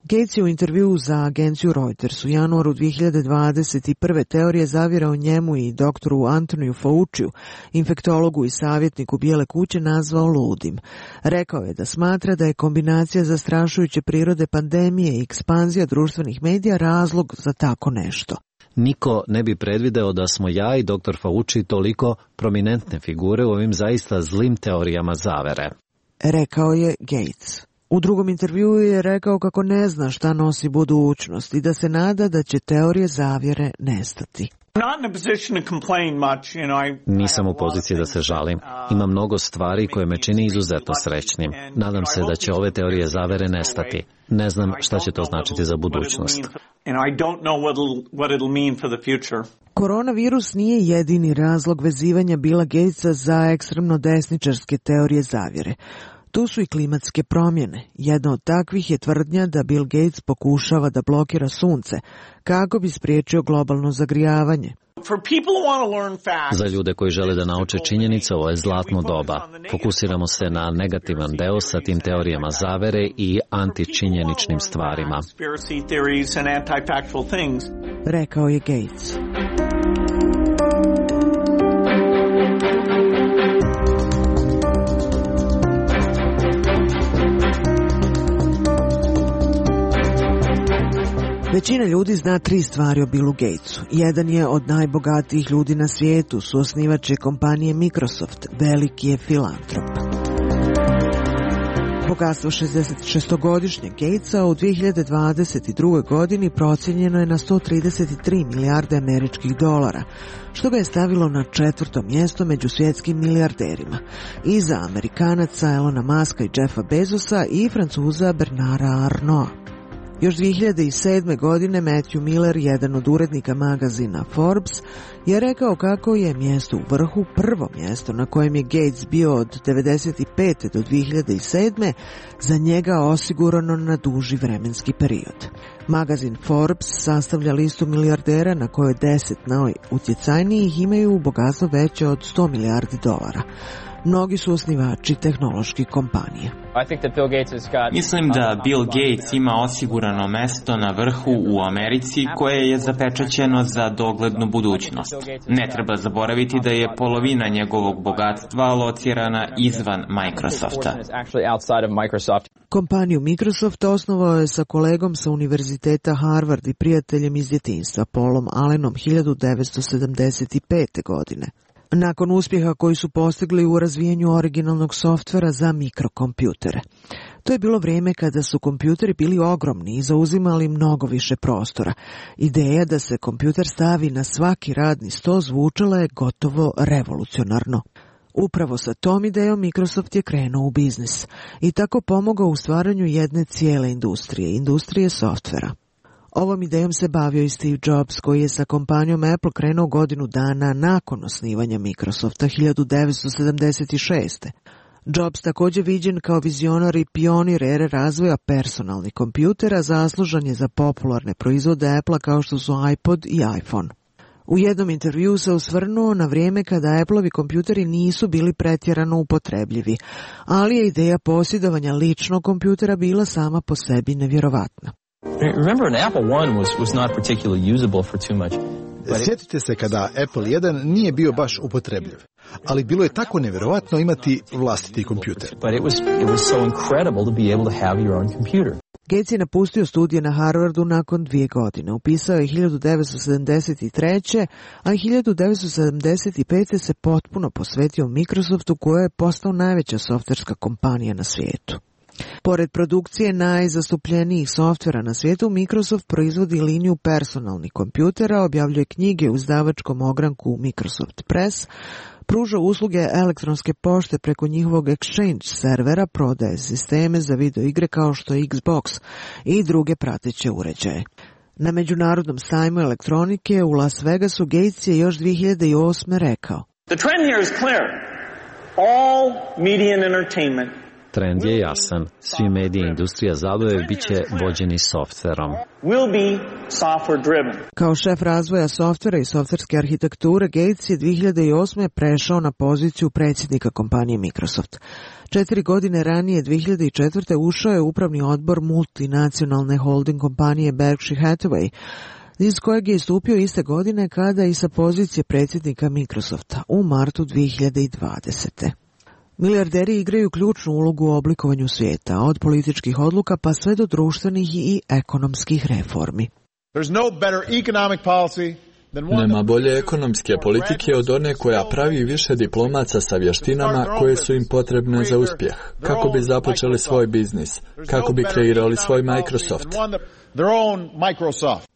Gates je u intervjuu za agenciju Reuters u januaru 2021. teorije zavjera o njemu i doktoru Antoniju Fauciju, infektologu i savjetniku Bijele kuće, nazvao ludim. Rekao je da smatra da je kombinacija zastrašujuće prirode pandemije i ekspanzija društvenih medija razlog za tako nešto. Niko ne bi predvideo da smo ja i dr. Fauci toliko prominentne figure u ovim zaista zlim teorijama zavere, rekao je Gates. U drugom intervjuu je rekao kako ne zna šta nosi budućnost i da se nada da će teorije zavjere nestati. Nisam u poziciji da se žalim. Ima mnogo stvari koje me čini izuzetno srećnim. Nadam se da će ove teorije zavere nestati. Ne znam šta će to značiti za budućnost. Koronavirus nije jedini razlog vezivanja Billa Gatesa za ekstremno desničarske teorije zavjere. Tu su i klimatske promjene. Jedna od takvih je tvrdnja da Bill Gates pokušava da blokira sunce kako bi spriječio globalno zagrijavanje. Za ljude koji žele da nauče činjenice, ovo je zlatno doba. Fokusiramo se na negativan deo sa tim teorijama zavere i antičinjeničnim stvarima, rekao je Gates. Većina ljudi zna 3 stvari o Billu Gatesu. Jedan je od najbogatijih ljudi na svijetu, suosnivač je kompanije Microsoft, veliki je filantrop. Bogatstvo 66-godišnjeg Gatesa u 2022. godini procijenjeno je na 133 milijarde američkih dolara, što ga je stavilo na 4. mjesto među svjetskim milijarderima. Iza Amerikanaca Elona Muska i Jeffa Bezosa i Francuza Bernarda Arnaulta. Još 2007. godine Matthew Miller, jedan od urednika magazina Forbes, je rekao kako je mjesto u vrhu prvo mjesto na kojem je Gates bio od 1995. do 2007. za njega osigurano na duži vremenski period. Magazin Forbes sastavlja listu milijardera na kojoj 10 najutjecajnijih imaju bogatstvo veće od 100 milijardi dolara. Mnogi su osnivači tehnoloških kompanija. Mislim da Bill Gates ima osigurano mesto na vrhu u Americi koje je zapečaćeno za doglednu budućnost. Ne treba zaboraviti da je polovina njegovog bogatstva locirana izvan Microsofta. Kompaniju Microsoft osnovao je sa kolegom sa univerziteta Harvard i prijateljem iz djetinjstva Paulom Allenom 1975. godine. Nakon uspjeha koji su postigli u razvijanju originalnog softvera za mikrokompjutere. To je bilo vrijeme kada su kompjuteri bili ogromni i zauzimali mnogo više prostora. Ideja da se kompjuter stavi na svaki radni sto zvučala je gotovo revolucionarno. Upravo sa tom idejom Microsoft je krenuo u biznis i tako pomogao u stvaranju jedne cijele industrije softvera. Ovom idejom se bavio i Steve Jobs, koji je sa kompanijom Apple krenuo godinu dana nakon osnivanja Microsofta 1976. Jobs također viđen kao vizionar i pionir ere razvoja personalnih kompjutera, zaslužan je za popularne proizvode Apple kao što su iPod i iPhone. U jednom intervjuu se osvrnuo na vrijeme kada Appleovi kompjuteri nisu bili pretjerano upotrebljivi, ali je ideja posjedovanja ličnog kompjutera bila sama po sebi nevjerovatna. Remember, an Apple I was not particularly usable for too much. Sjetite se kada Apple I nije bio baš upotrebljiv, ali bilo je tako nevjerovatno imati vlastiti kompjuter. But it was so incredible to be able to have your own computer. Gates je napustio studije na Harvardu nakon 2 godine. Upisao je 1973. a 1975. se potpuno posvetio Microsoftu, koja je postao najveća softverska kompanija na svijetu. Pored produkcije najzastupljenijih softvera na svijetu, Microsoft proizvodi liniju personalnih kompjutera, objavljuje knjige u izdavačkom ogranku Microsoft Press, pruža usluge elektronske pošte preko njihovog Exchange servera, prodaje sisteme za video igre kao što je Xbox i druge prateće uređaje. Na Međunarodnom sajmu elektronike u Las Vegasu Gates je još 2008. rekao: The trend here is clear. All media and entertainment. Trend je jasan. Svi mediji i industrija zabave bit će vođeni softverom. Kao šef razvoja softvera i softverske arhitekture, Gates je 2008. prešao na poziciju predsjednika kompanije Microsoft. 4 godine ranije, 2004. ušao je upravni odbor multinacionalne holding kompanije Berkshire Hathaway, iz kojeg je istupio iste godine kada i sa pozicije predsjednika Microsofta u martu 2020. Milijarderi igraju ključnu ulogu u oblikovanju svijeta, od političkih odluka pa sve do društvenih i ekonomskih reformi. Nema bolje ekonomske politike od one koja pravi više diplomaca sa vještinama koje su im potrebne za uspjeh, kako bi započeli svoj biznis, kako bi kreirali svoj Microsoft.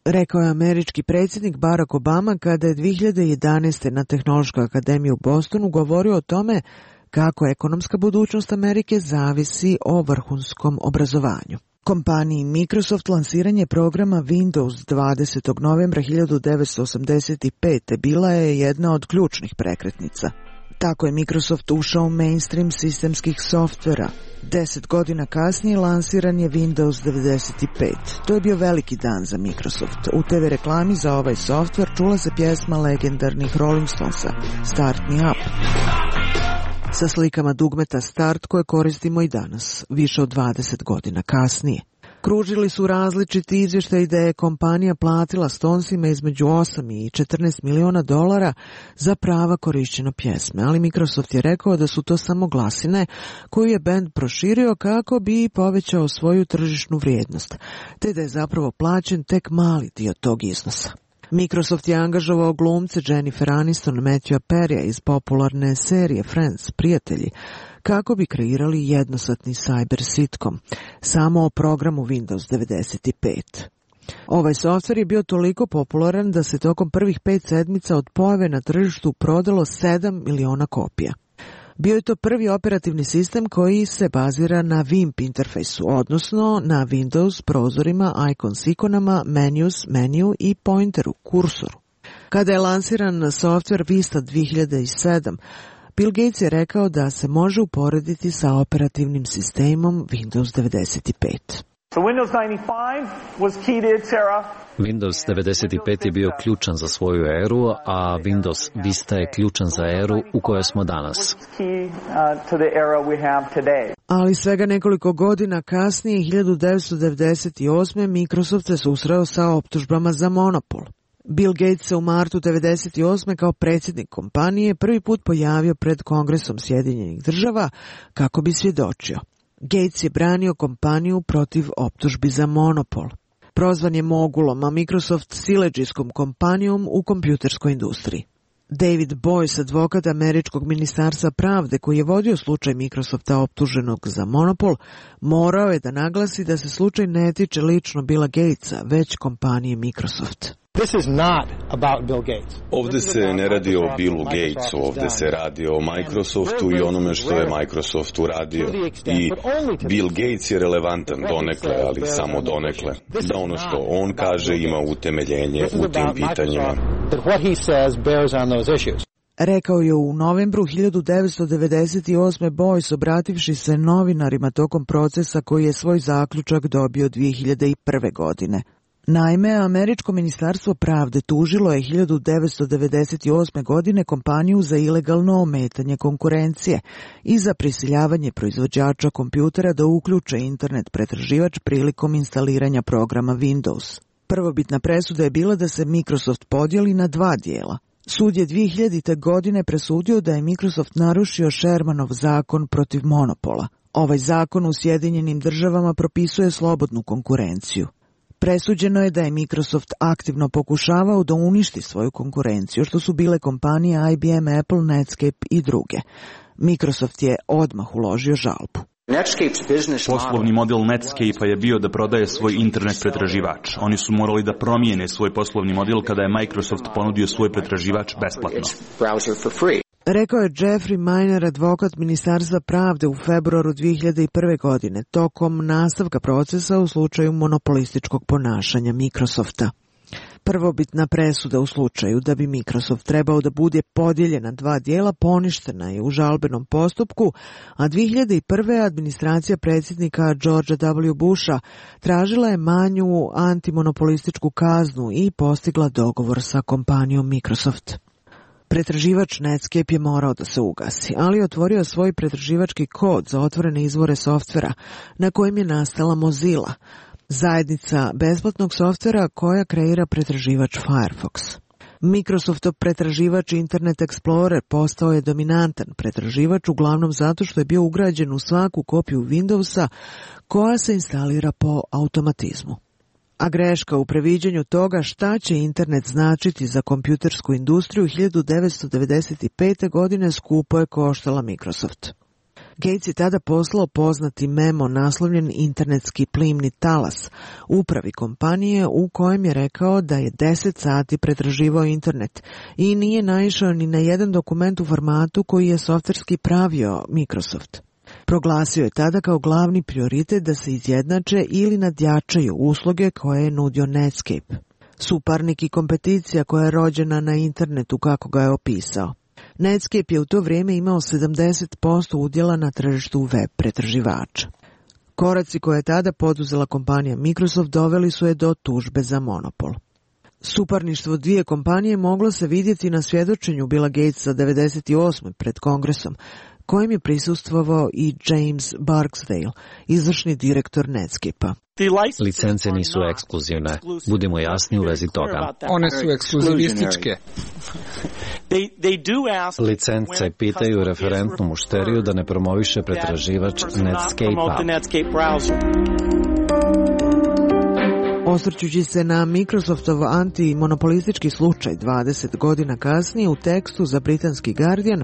Rekao je američki predsjednik Barack Obama kada je 2011. na Tehnološkoj akademiji u Bostonu govorio o tome kako ekonomska budućnost Amerike zavisi o vrhunskom obrazovanju. Kompaniji Microsoft lansiranje programa Windows 20. novembra 1985. bila je jedna od ključnih prekretnica. Tako je Microsoft ušao u mainstream sistemskih softvera. 10 godina kasnije lansiran je Windows 95. To je bio veliki dan za Microsoft. U TV reklami za ovaj softver čula se pjesma legendarnih Rolling Stonesa, Start Me Up, sa slikama dugmeta Start koje koristimo i danas, više od 20 godina kasnije. Kružili su različiti izvještaji da je kompanija platila Stonesima između 8 i 14 miliona dolara za prava korišćenja pjesme, ali Microsoft je rekao da su to samo glasine koju je bend proširio kako bi povećao svoju tržišnu vrijednost, te da je zapravo plaćen tek mali dio tog iznosa. Microsoft je angažovao glumce Jennifer Aniston, Matthewa Perrya iz popularne serije Friends, Prijatelji, kako bi kreirali jednosatni cyber sitcom, samo o programu Windows 95. Ovaj softver je bio toliko popularan da se tokom prvih 5 sedmica od pojave na tržištu prodalo 7 miliona kopija. Bio je to prvi operativni sistem koji se bazira na WIMP interfejsu, odnosno na Windows prozorima, icons ikonama, menus, meniju i pointeru, kursoru. Kada je lansiran softver Vista 2007, Bill Gates je rekao da se može uporediti sa operativnim sistemom Windows 95. Windows 95 je bio ključan za svoju eru, a Windows Vista je ključan za eru u kojoj smo danas. Ali svega nekoliko godina kasnije, 1998. Microsoft se susreo sa optužbama za monopol. Bill Gates se u martu 1998. kao predsjednik kompanije prvi put pojavio pred Kongresom Sjedinjenih država kako bi svjedočio. Gates je branio kompaniju protiv optužbi za monopol. Prozvan je mogulom, a Microsoft siledžijskom kompanijom u kompjuterskoj industriji. David Boyce, advokat Američkog ministarstva pravde koji je vodio slučaj Microsofta optuženog za monopol, morao je da naglasi da se slučaj ne tiče lično Billa Gatesa, već kompanije Microsoft. Ovdje se ne radi o Billu Gatesu, ovdje se radi o Microsoftu i onome što je Microsoft uradio. I Bill Gates je relevantan donekle, ali samo donekle. Da ono što on kaže ima utemeljenje u tim pitanjima. Rekao je u novembru 1998. Boyce obrativši se novinarima tokom procesa koji je svoj zaključak dobio 2001. godine. Naime, Američko ministarstvo pravde tužilo je 1998. godine kompaniju za ilegalno ometanje konkurencije i za prisiljavanje proizvođača kompjutera da uključe internet pretraživač prilikom instaliranja programa Windows. Prvobitna presuda je bila da se Microsoft podijeli na 2 dijela. Sud je 2000. godine presudio da je Microsoft narušio Shermanov zakon protiv monopola. Ovaj zakon u Sjedinjenim državama propisuje slobodnu konkurenciju. Presuđeno je da je Microsoft aktivno pokušavao da uništi svoju konkurenciju, što su bile kompanije IBM, Apple, Netscape i druge. Microsoft je odmah uložio žalbu. Poslovni model Netscape-a je bio da prodaje svoj internet pretraživač. Oni su morali da promijene svoj poslovni model kada je Microsoft ponudio svoj pretraživač besplatno. Rekao je Jeffrey Miner, advokat Ministarstva pravde u februaru 2001. godine, tokom nastavka procesa u slučaju monopolističkog ponašanja Microsofta. Prvobitna presuda u slučaju da bi Microsoft trebao da bude podijeljena dva dijela poništena je u žalbenom postupku, a 2001. administracija predsjednika Georgea W. Busha tražila je manju antimonopolističku kaznu i postigla dogovor sa kompanijom Microsoft. Pretraživač Netscape je morao da se ugasi, ali otvorio svoj pretraživački kod za otvorene izvore softvera na kojim je nastala Mozilla, zajednica besplatnog softvera koja kreira pretraživač Firefox. Microsoftov pretraživač Internet Explorer postao je dominantan pretraživač uglavnom zato što je bio ugrađen u svaku kopiju Windowsa koja se instalira po automatizmu. A greška u previđanju toga šta će internet značiti za kompjutersku industriju 1995. godine skupo je koštala Microsoft. Gates je tada poslao poznati memo naslovljen Internetski plimni talas upravi kompanije u kojem je rekao da je 10 sati pretraživao internet i nije naišao ni na jedan dokument u formatu koji je softverski pravio Microsoft. Proglasio je tada kao glavni prioritet da se izjednače ili nadjačaju usluge koje je nudio Netscape. Suparnik i kompeticija koja je rođena na internetu kako ga je opisao. Netscape je u to vrijeme imao 70% udjela na tržištu web pretraživača. Koraci koje je tada poduzela kompanija Microsoft doveli su je do tužbe za monopol. Suparništvo dvije kompanije moglo se vidjeti na svjedočenju Billa Gatesa 1998. pred Kongresom, kojem je prisustvovao i James Barksdale, izvršni direktor Netscape-a. Licence nisu ekskluzivne. Budimo jasni u vezi toga. One su ekskluzivističke. Licence pitaju referentnu mušteriju da ne promoviše pretraživač Netscape-a. Osvrćući se na Microsoftov antimonopolistički slučaj 20 godina kasnije u tekstu za britanski Guardian,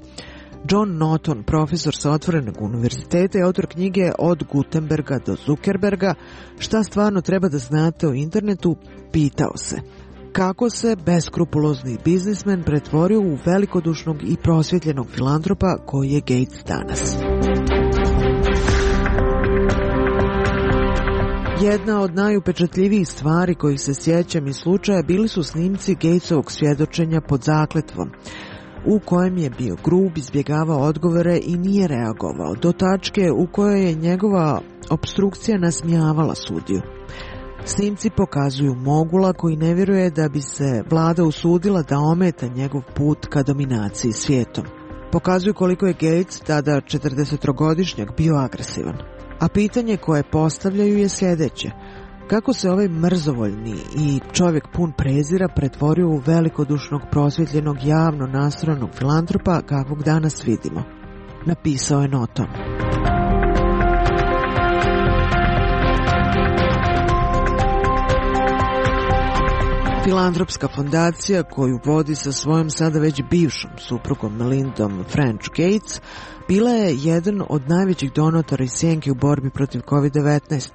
John Norton, profesor sa Otvorenog univerziteta i autor knjige Od Gutenberga do Zuckerberga, šta stvarno treba da znate o internetu, pitao se kako se beskrupulozni biznismen pretvorio u velikodušnog i prosvjetljenog filantropa koji je Gates danas. Jedna od najupečatljivijih stvari kojih se sjećam iz slučaja bili su snimci Gatesovog svjedočenja pod zakletvom, u kojem je bio grub, izbjegavao odgovore i nije reagovao, do tačke u kojoj je njegova opstrukcija nasmijavala sudiju. Snimci pokazuju mogula koji ne vjeruje da bi se vlada usudila da ometa njegov put ka dominaciji svijetom. Pokazuju koliko je Gates, tada 40-godišnjak, bio agresivan. A pitanje koje postavljaju je sljedeće: kako se ovaj mrzovoljni i čovjek pun prezira pretvorio u velikodušnog, prosvjetljenog, javno nastrojenog filantropa kakvog danas vidimo? Napisao je Norton. Filantropska fondacija koju vodi sa svojom sada već bivšom suprugom Melindom French Gates bila je jedan od najvećih donatora iz sjenke u borbi protiv COVID-19.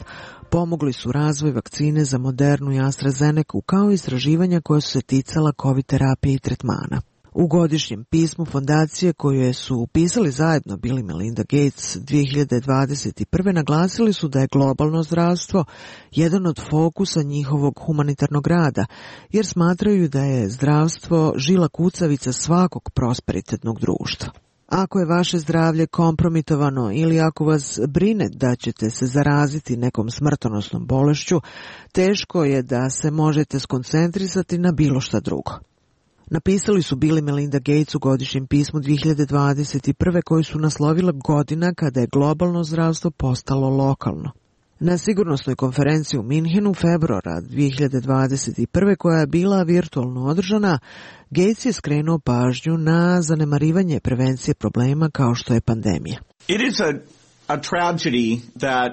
Pomogli su razvoj vakcine za Modernu i AstraZeneca kao i istraživanja koja su se ticala COVID terapije i tretmana. U godišnjem pismu fondacije koje su upisali zajedno Bill i Melinda Gates 2021. naglasili su da je globalno zdravstvo jedan od fokusa njihovog humanitarnog rada, jer smatraju da je zdravstvo žila kucavica svakog prosperitetnog društva. Ako je vaše zdravlje kompromitovano ili ako vas brine da ćete se zaraziti nekom smrtonosnom bolešću, teško je da se možete skoncentrisati na bilo šta drugo. Napisali su Bill i Melinda Gates u godišnjem pismu 2021. koji su naslovila godina kada je globalno zdravstvo postalo lokalno. Na sigurnosnoj konferenciji u Minhenu februara 2021. koja je bila virtualno održana, Gates je skrenuo pažnju na zanemarivanje prevencije problema kao što je pandemija. It is a tragedy that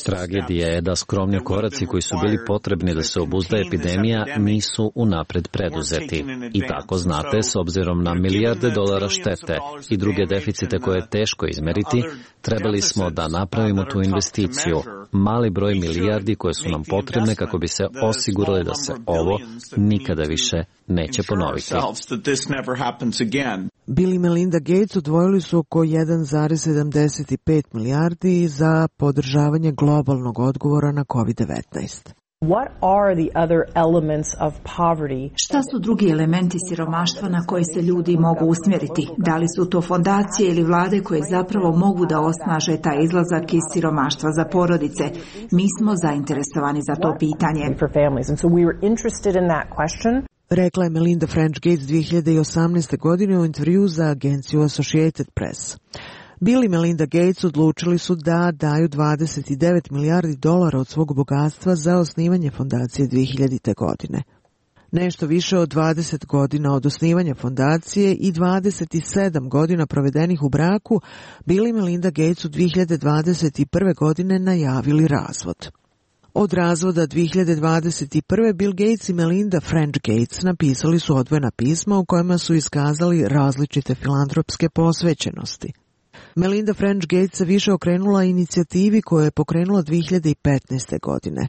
Tragedija je da skromni koraci koji su bili potrebni da se obuzda epidemija nisu unapred preduzeti. I tako znate, s obzirom na milijarde dolara štete i druge deficite koje je teško izmeriti, trebali smo da napravimo tu investiciju, mali broj milijardi koje su nam potrebne kako bi se osigurali da se ovo nikada više neće ponoviti. Bill i Melinda Gates odvojili su oko 1,75 milijardi za podržavanje globalnog odgovora na COVID-19. Šta su drugi elementi siromaštva na koje se ljudi mogu usmjeriti? Da li su to fondacije ili vlade koje zapravo mogu da osnaže taj izlazak iz siromaštva za porodice? Mi smo zainteresovani za to pitanje. Rekla je Melinda French Gates 2018. godine u intervju za agenciju Associated Press. Bill i Melinda Gates odlučili su da daju 29 milijardi dolara od svog bogatstva za osnivanje fondacije 2000. godine. Nešto više od 20 godina od osnivanja fondacije i 27 godina provedenih u braku, Bill i Melinda Gates u 2021. godine najavili razvod. Od razvoda 2021. Bill Gates i Melinda French Gates napisali su odvojena pisma u kojima su iskazali različite filantropske posvećenosti. Melinda French Gates se više okrenula inicijativi koju je pokrenula 2015. godine.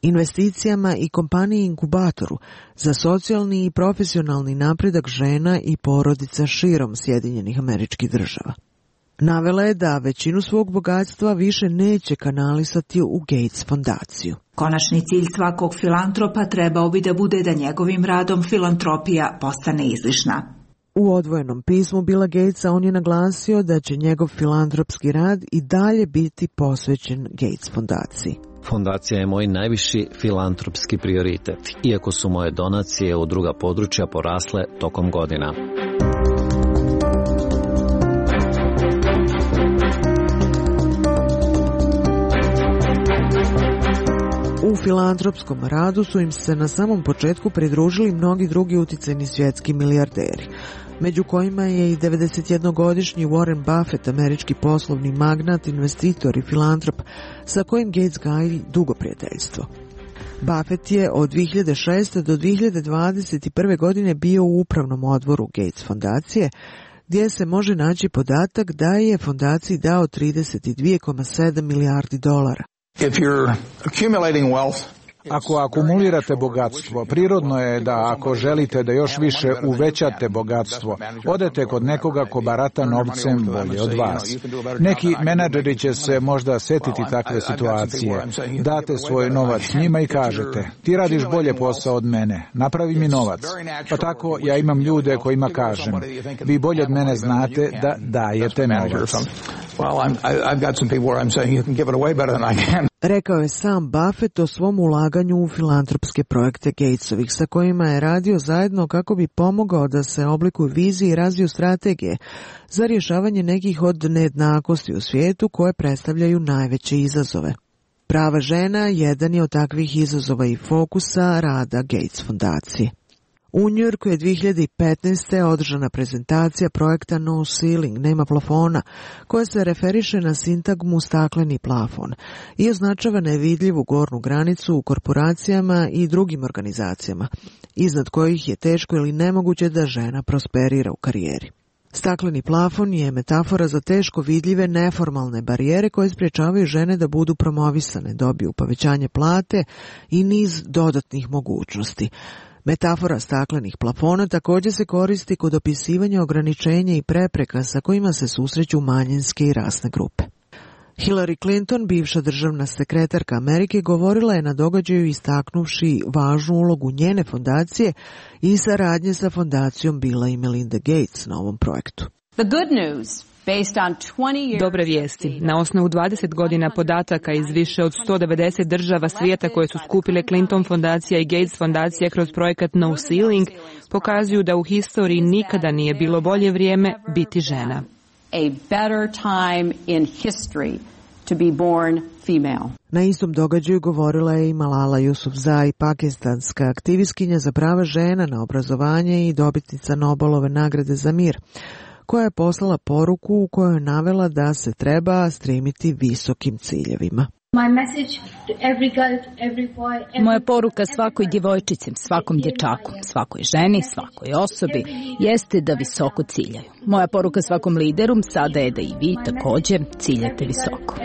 Investicijama i kompaniji inkubatoru za socijalni i profesionalni napredak žena i porodica širom Sjedinjenih Američkih Država. Navela je da većinu svog bogatstva više neće kanalisati u Gates fondaciju. Konačni cilj svakog filantropa trebao bi da bude da njegovim radom filantropija postane izlišna. U odvojenom pismu Billa Gatesa on je naglasio da će njegov filantropski rad i dalje biti posvećen Gates fondaciji. Fondacija je moj najviši filantropski prioritet, iako su moje donacije u druga područja porasle tokom godina. U filantropskom radu su im se na samom početku pridružili mnogi drugi uticajni svjetski milijarderi, među kojima je i 91-godišnji Warren Buffett, američki poslovni magnat, investitor i filantrop, sa kojim Gates gaji dugo prijateljstvo. Buffett je od 2006. do 2021. godine bio u upravnom odboru Gates fondacije, gdje se može naći podatak da je fondaciji dao 32,7 milijardi dolara. Ako akumulirate bogatstvo, prirodno je da ako želite da još više uvećate bogatstvo, odete kod nekoga ko barata novcem bolje od vas. Neki menadžeri će se možda setiti takve situacije. Date svoj novac njima i kažete, ti radiš bolje posao od mene, napravi mi novac. Pa tako ja imam ljude kojima kažem, vi bolje od mene znate da dajete novac. Rekao je sam Buffett o svom ulaganju u filantropske projekte Gatesovih, sa kojima je radio zajedno kako bi pomogao da se oblikuju vizije i razviju strategije za rješavanje nekih od nejednakosti u svijetu koje predstavljaju najveće izazove. Prava žena jedan je od takvih izazova i fokusa rada Gates fondacije. U Njujorku je 2015. održana prezentacija projekta No Ceiling, nema plafona, koja se referiše na sintagmu stakleni plafon i označava nevidljivu gornju granicu u korporacijama i drugim organizacijama, iznad kojih je teško ili nemoguće da žena prosperira u karijeri. Stakleni plafon je metafora za teško vidljive neformalne barijere koje sprječavaju žene da budu promovisane, dobiju povećanje plate i niz dodatnih mogućnosti. Metafora staklenih plafona također se koristi kod opisivanja ograničenja i prepreka sa kojima se susreću manjinske i rasne grupe. Hillary Clinton, bivša državna sekretarka Amerike, govorila je na događaju istaknuvši važnu ulogu njene fondacije i saradnje sa fondacijom Billa i Melinda Gates na ovom projektu. Dobre vijesti. Na osnovu 20 godina podataka iz više od 190 država svijeta koje su skupile Clinton fondacija i Gates fondacija kroz projekat No Ceiling, pokazuju da u historiji nikada nije bilo bolje vrijeme biti žena. Na istom događaju govorila je i Malala Yousafzai, pakistanska aktivistkinja za prava žena na obrazovanje i dobitnica Nobelove nagrade za mir, koja je poslala poruku u kojoj je navela da se treba stremiti visokim ciljevima. Moja poruka svakoj djevojčici, svakom dječaku, svakoj ženi, svakoj osobi jeste da visoko ciljaju. Moja poruka svakom lideru sada je da i vi također ciljate visoko.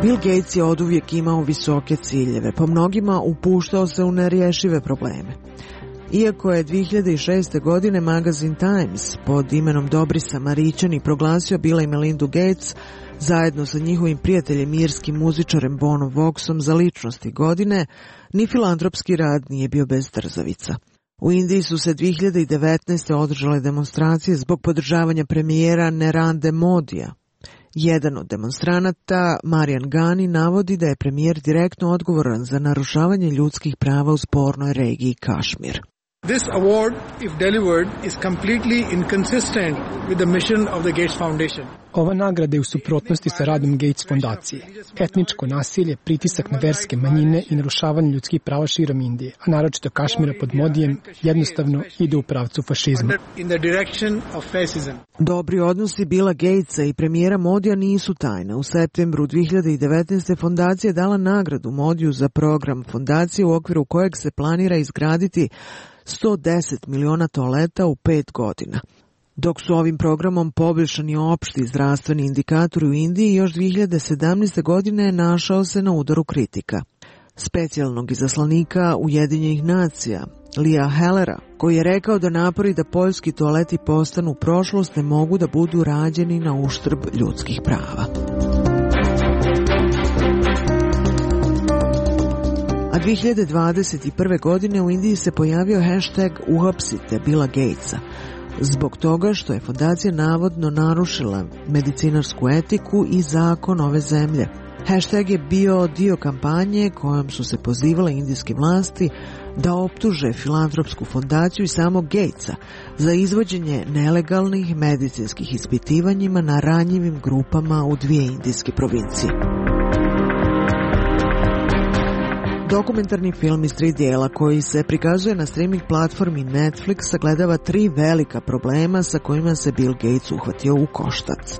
Bill Gates je oduvijek imao visoke ciljeve, po mnogima upuštao se u nerješive probleme. Iako je 2006. godine magazin Times pod imenom Dobri Samarićani proglasio Billa i Melindu Gates zajedno sa njihovim prijateljem irskim muzičarem Bonom Voxom za ličnosti godine, ni filantropski rad nije bio bez trzavica. U Indiji su se 2019. održale demonstracije zbog podržavanja premijera Narendra Modija. Jedan od demonstranata, Marian Gani, navodi da je premijer direktno odgovoran za narušavanje ljudskih prava u spornoj regiji Kašmir. This award, if delivered, is completely inconsistent with the mission of the Gates Foundation. Ova nagrada je u suprotnosti sa radom Gates fondacije. Etničko nasilje, pritisak na verske manjine i narušavanje ljudskih prava širom Indije, a naročito Kašmira pod Modijem, jednostavno ide u pravcu fašizma. Dobri odnosi Billa Gatesa i premijera Modija nisu tajna. U septembru 2019. fondacija je dala nagradu Modiju za program fondacije u okviru kojeg se planira izgraditi 110 miliona toaleta u 5 godina. Dok su ovim programom poboljšani opšti zdravstveni indikatori u Indiji, još 2017. godine našao se na udaru kritika. Specijalnog izaslanika Ujedinjenih nacija, Lia Hellera, koji je rekao da napori da poljski toaleti postanu prošlost ne mogu da budu rađeni na uštrb ljudskih prava. A 2021. godine u Indiji se pojavio hashtag uhapsite Billa Gatesa, zbog toga što je fondacija navodno narušila medicinarsku etiku i zakon ove zemlje. Hashtag je bio dio kampanje kojom su se pozivale indijske vlasti da optuže filantropsku fondaciju i samog Gatesa za izvođenje nelegalnih medicinskih ispitivanjima na ranjivim grupama u 2 indijske provincije. Dokumentarni film iz 3 dijela koji se prikazuje na streaming platformi Netflix sagledava 3 velika problema sa kojima se Bill Gates uhvatio u koštac.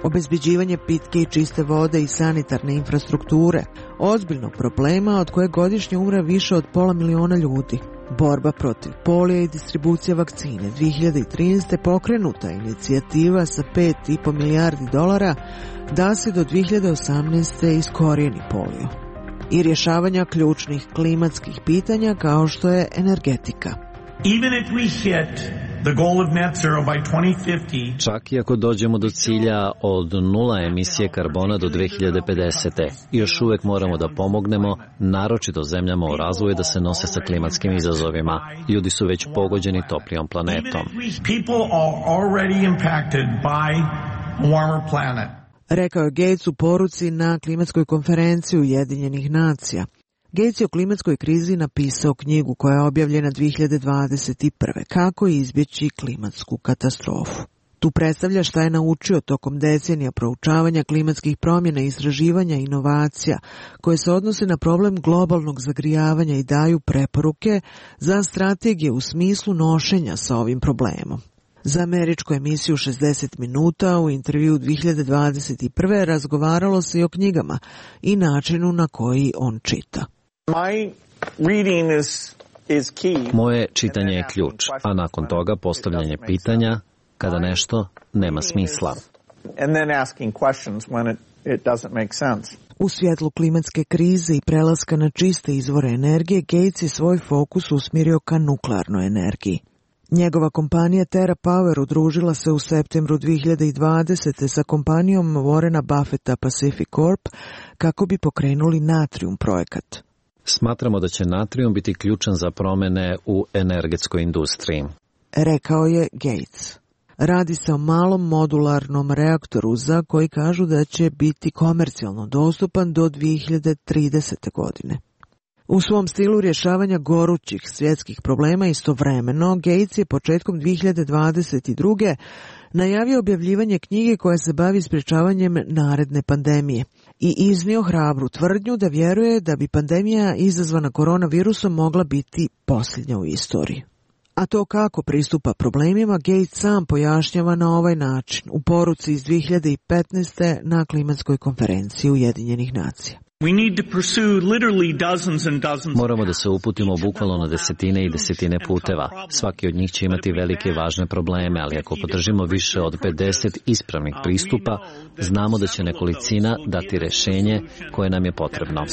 Obezbeđivanje pitke i čiste vode i sanitarne infrastrukture, ozbiljnog problema od koje godišnje umre više od 500.000 ljudi. Borba protiv polija i distribucija vakcine. 2013. pokrenuta inicijativa sa $5,5 milijardi da se do 2018. iskorijeni polio. I rješavanja ključnih klimatskih pitanja kao što je energetika. Čak i ako dođemo do cilja od 0 emisije karbona do 2050. još uvijek moramo da pomognemo, naročito zemljama u razvoju, da se nose sa klimatskim izazovima. Ljudi su već pogođeni toplijom planetom. Rekao je Gates u poruci na klimatskoj konferenciji Ujedinjenih nacija. Gates je o klimatskoj krizi napisao knjigu koja je objavljena 2021. Kako izbjeći klimatsku katastrofu. Tu predstavlja šta je naučio tokom decenija proučavanja klimatskih promjena, istraživanja i inovacija koje se odnose na problem globalnog zagrijavanja i daju preporuke za strategije u smislu nošenja sa ovim problemom. Za američku emisiju 60 minuta u intervju 2021. razgovaralo se i o knjigama i načinu na koji on čita. Moje čitanje je ključ, a nakon toga postavljanje pitanja kada nešto nema smisla. U svjetlu klimatske krize i prelaska na čiste izvore energije, Gates je svoj fokus usmjerio ka nuklearnoj energiji. Njegova kompanija TerraPower udružila se u septembru 2020. sa kompanijom Warrena Buffetta Pacific Corp kako bi pokrenuli Natrium projekat. Smatramo da će natrium biti ključan za promjene u energetskoj industriji, rekao je Gates. Radi se o malom modularnom reaktoru za koji kažu da će biti komercijalno dostupan do 2030. godine. U svom stilu rješavanja gorućih svjetskih problema istovremeno, Gates je početkom 2022. najavio objavljivanje knjige koja se bavi sprječavanjem naredne pandemije i iznio hrabru tvrdnju da vjeruje da bi pandemija izazvana koronavirusom mogla biti posljednja u istoriji. A to kako pristupa problemima Gates sam pojašnjava na ovaj način u poruci iz 2015. na klimatskoj konferenciji Ujedinjenih nacija. Moramo da se uputimo bukvalno na desetine i desetine puteva. Svaki od njih će imati velike i važne probleme, ali ako podržimo više od 50 ispravnih pristupa, znamo da će nekolicina dati rješenje koje nam je potrebno.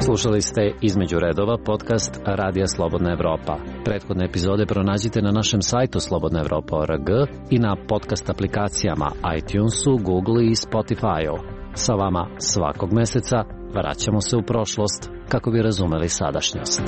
Slušali ste Između redova, podcast Radija Slobodna Evropa. Prethodne epizode pronađite na našem sajtu slobodnaevropa.org i na podcast aplikacijama iTunesu, Google i Spotify-u. Sa vama svakog meseca vraćamo se u prošlost kako bi razumeli sadašnjost.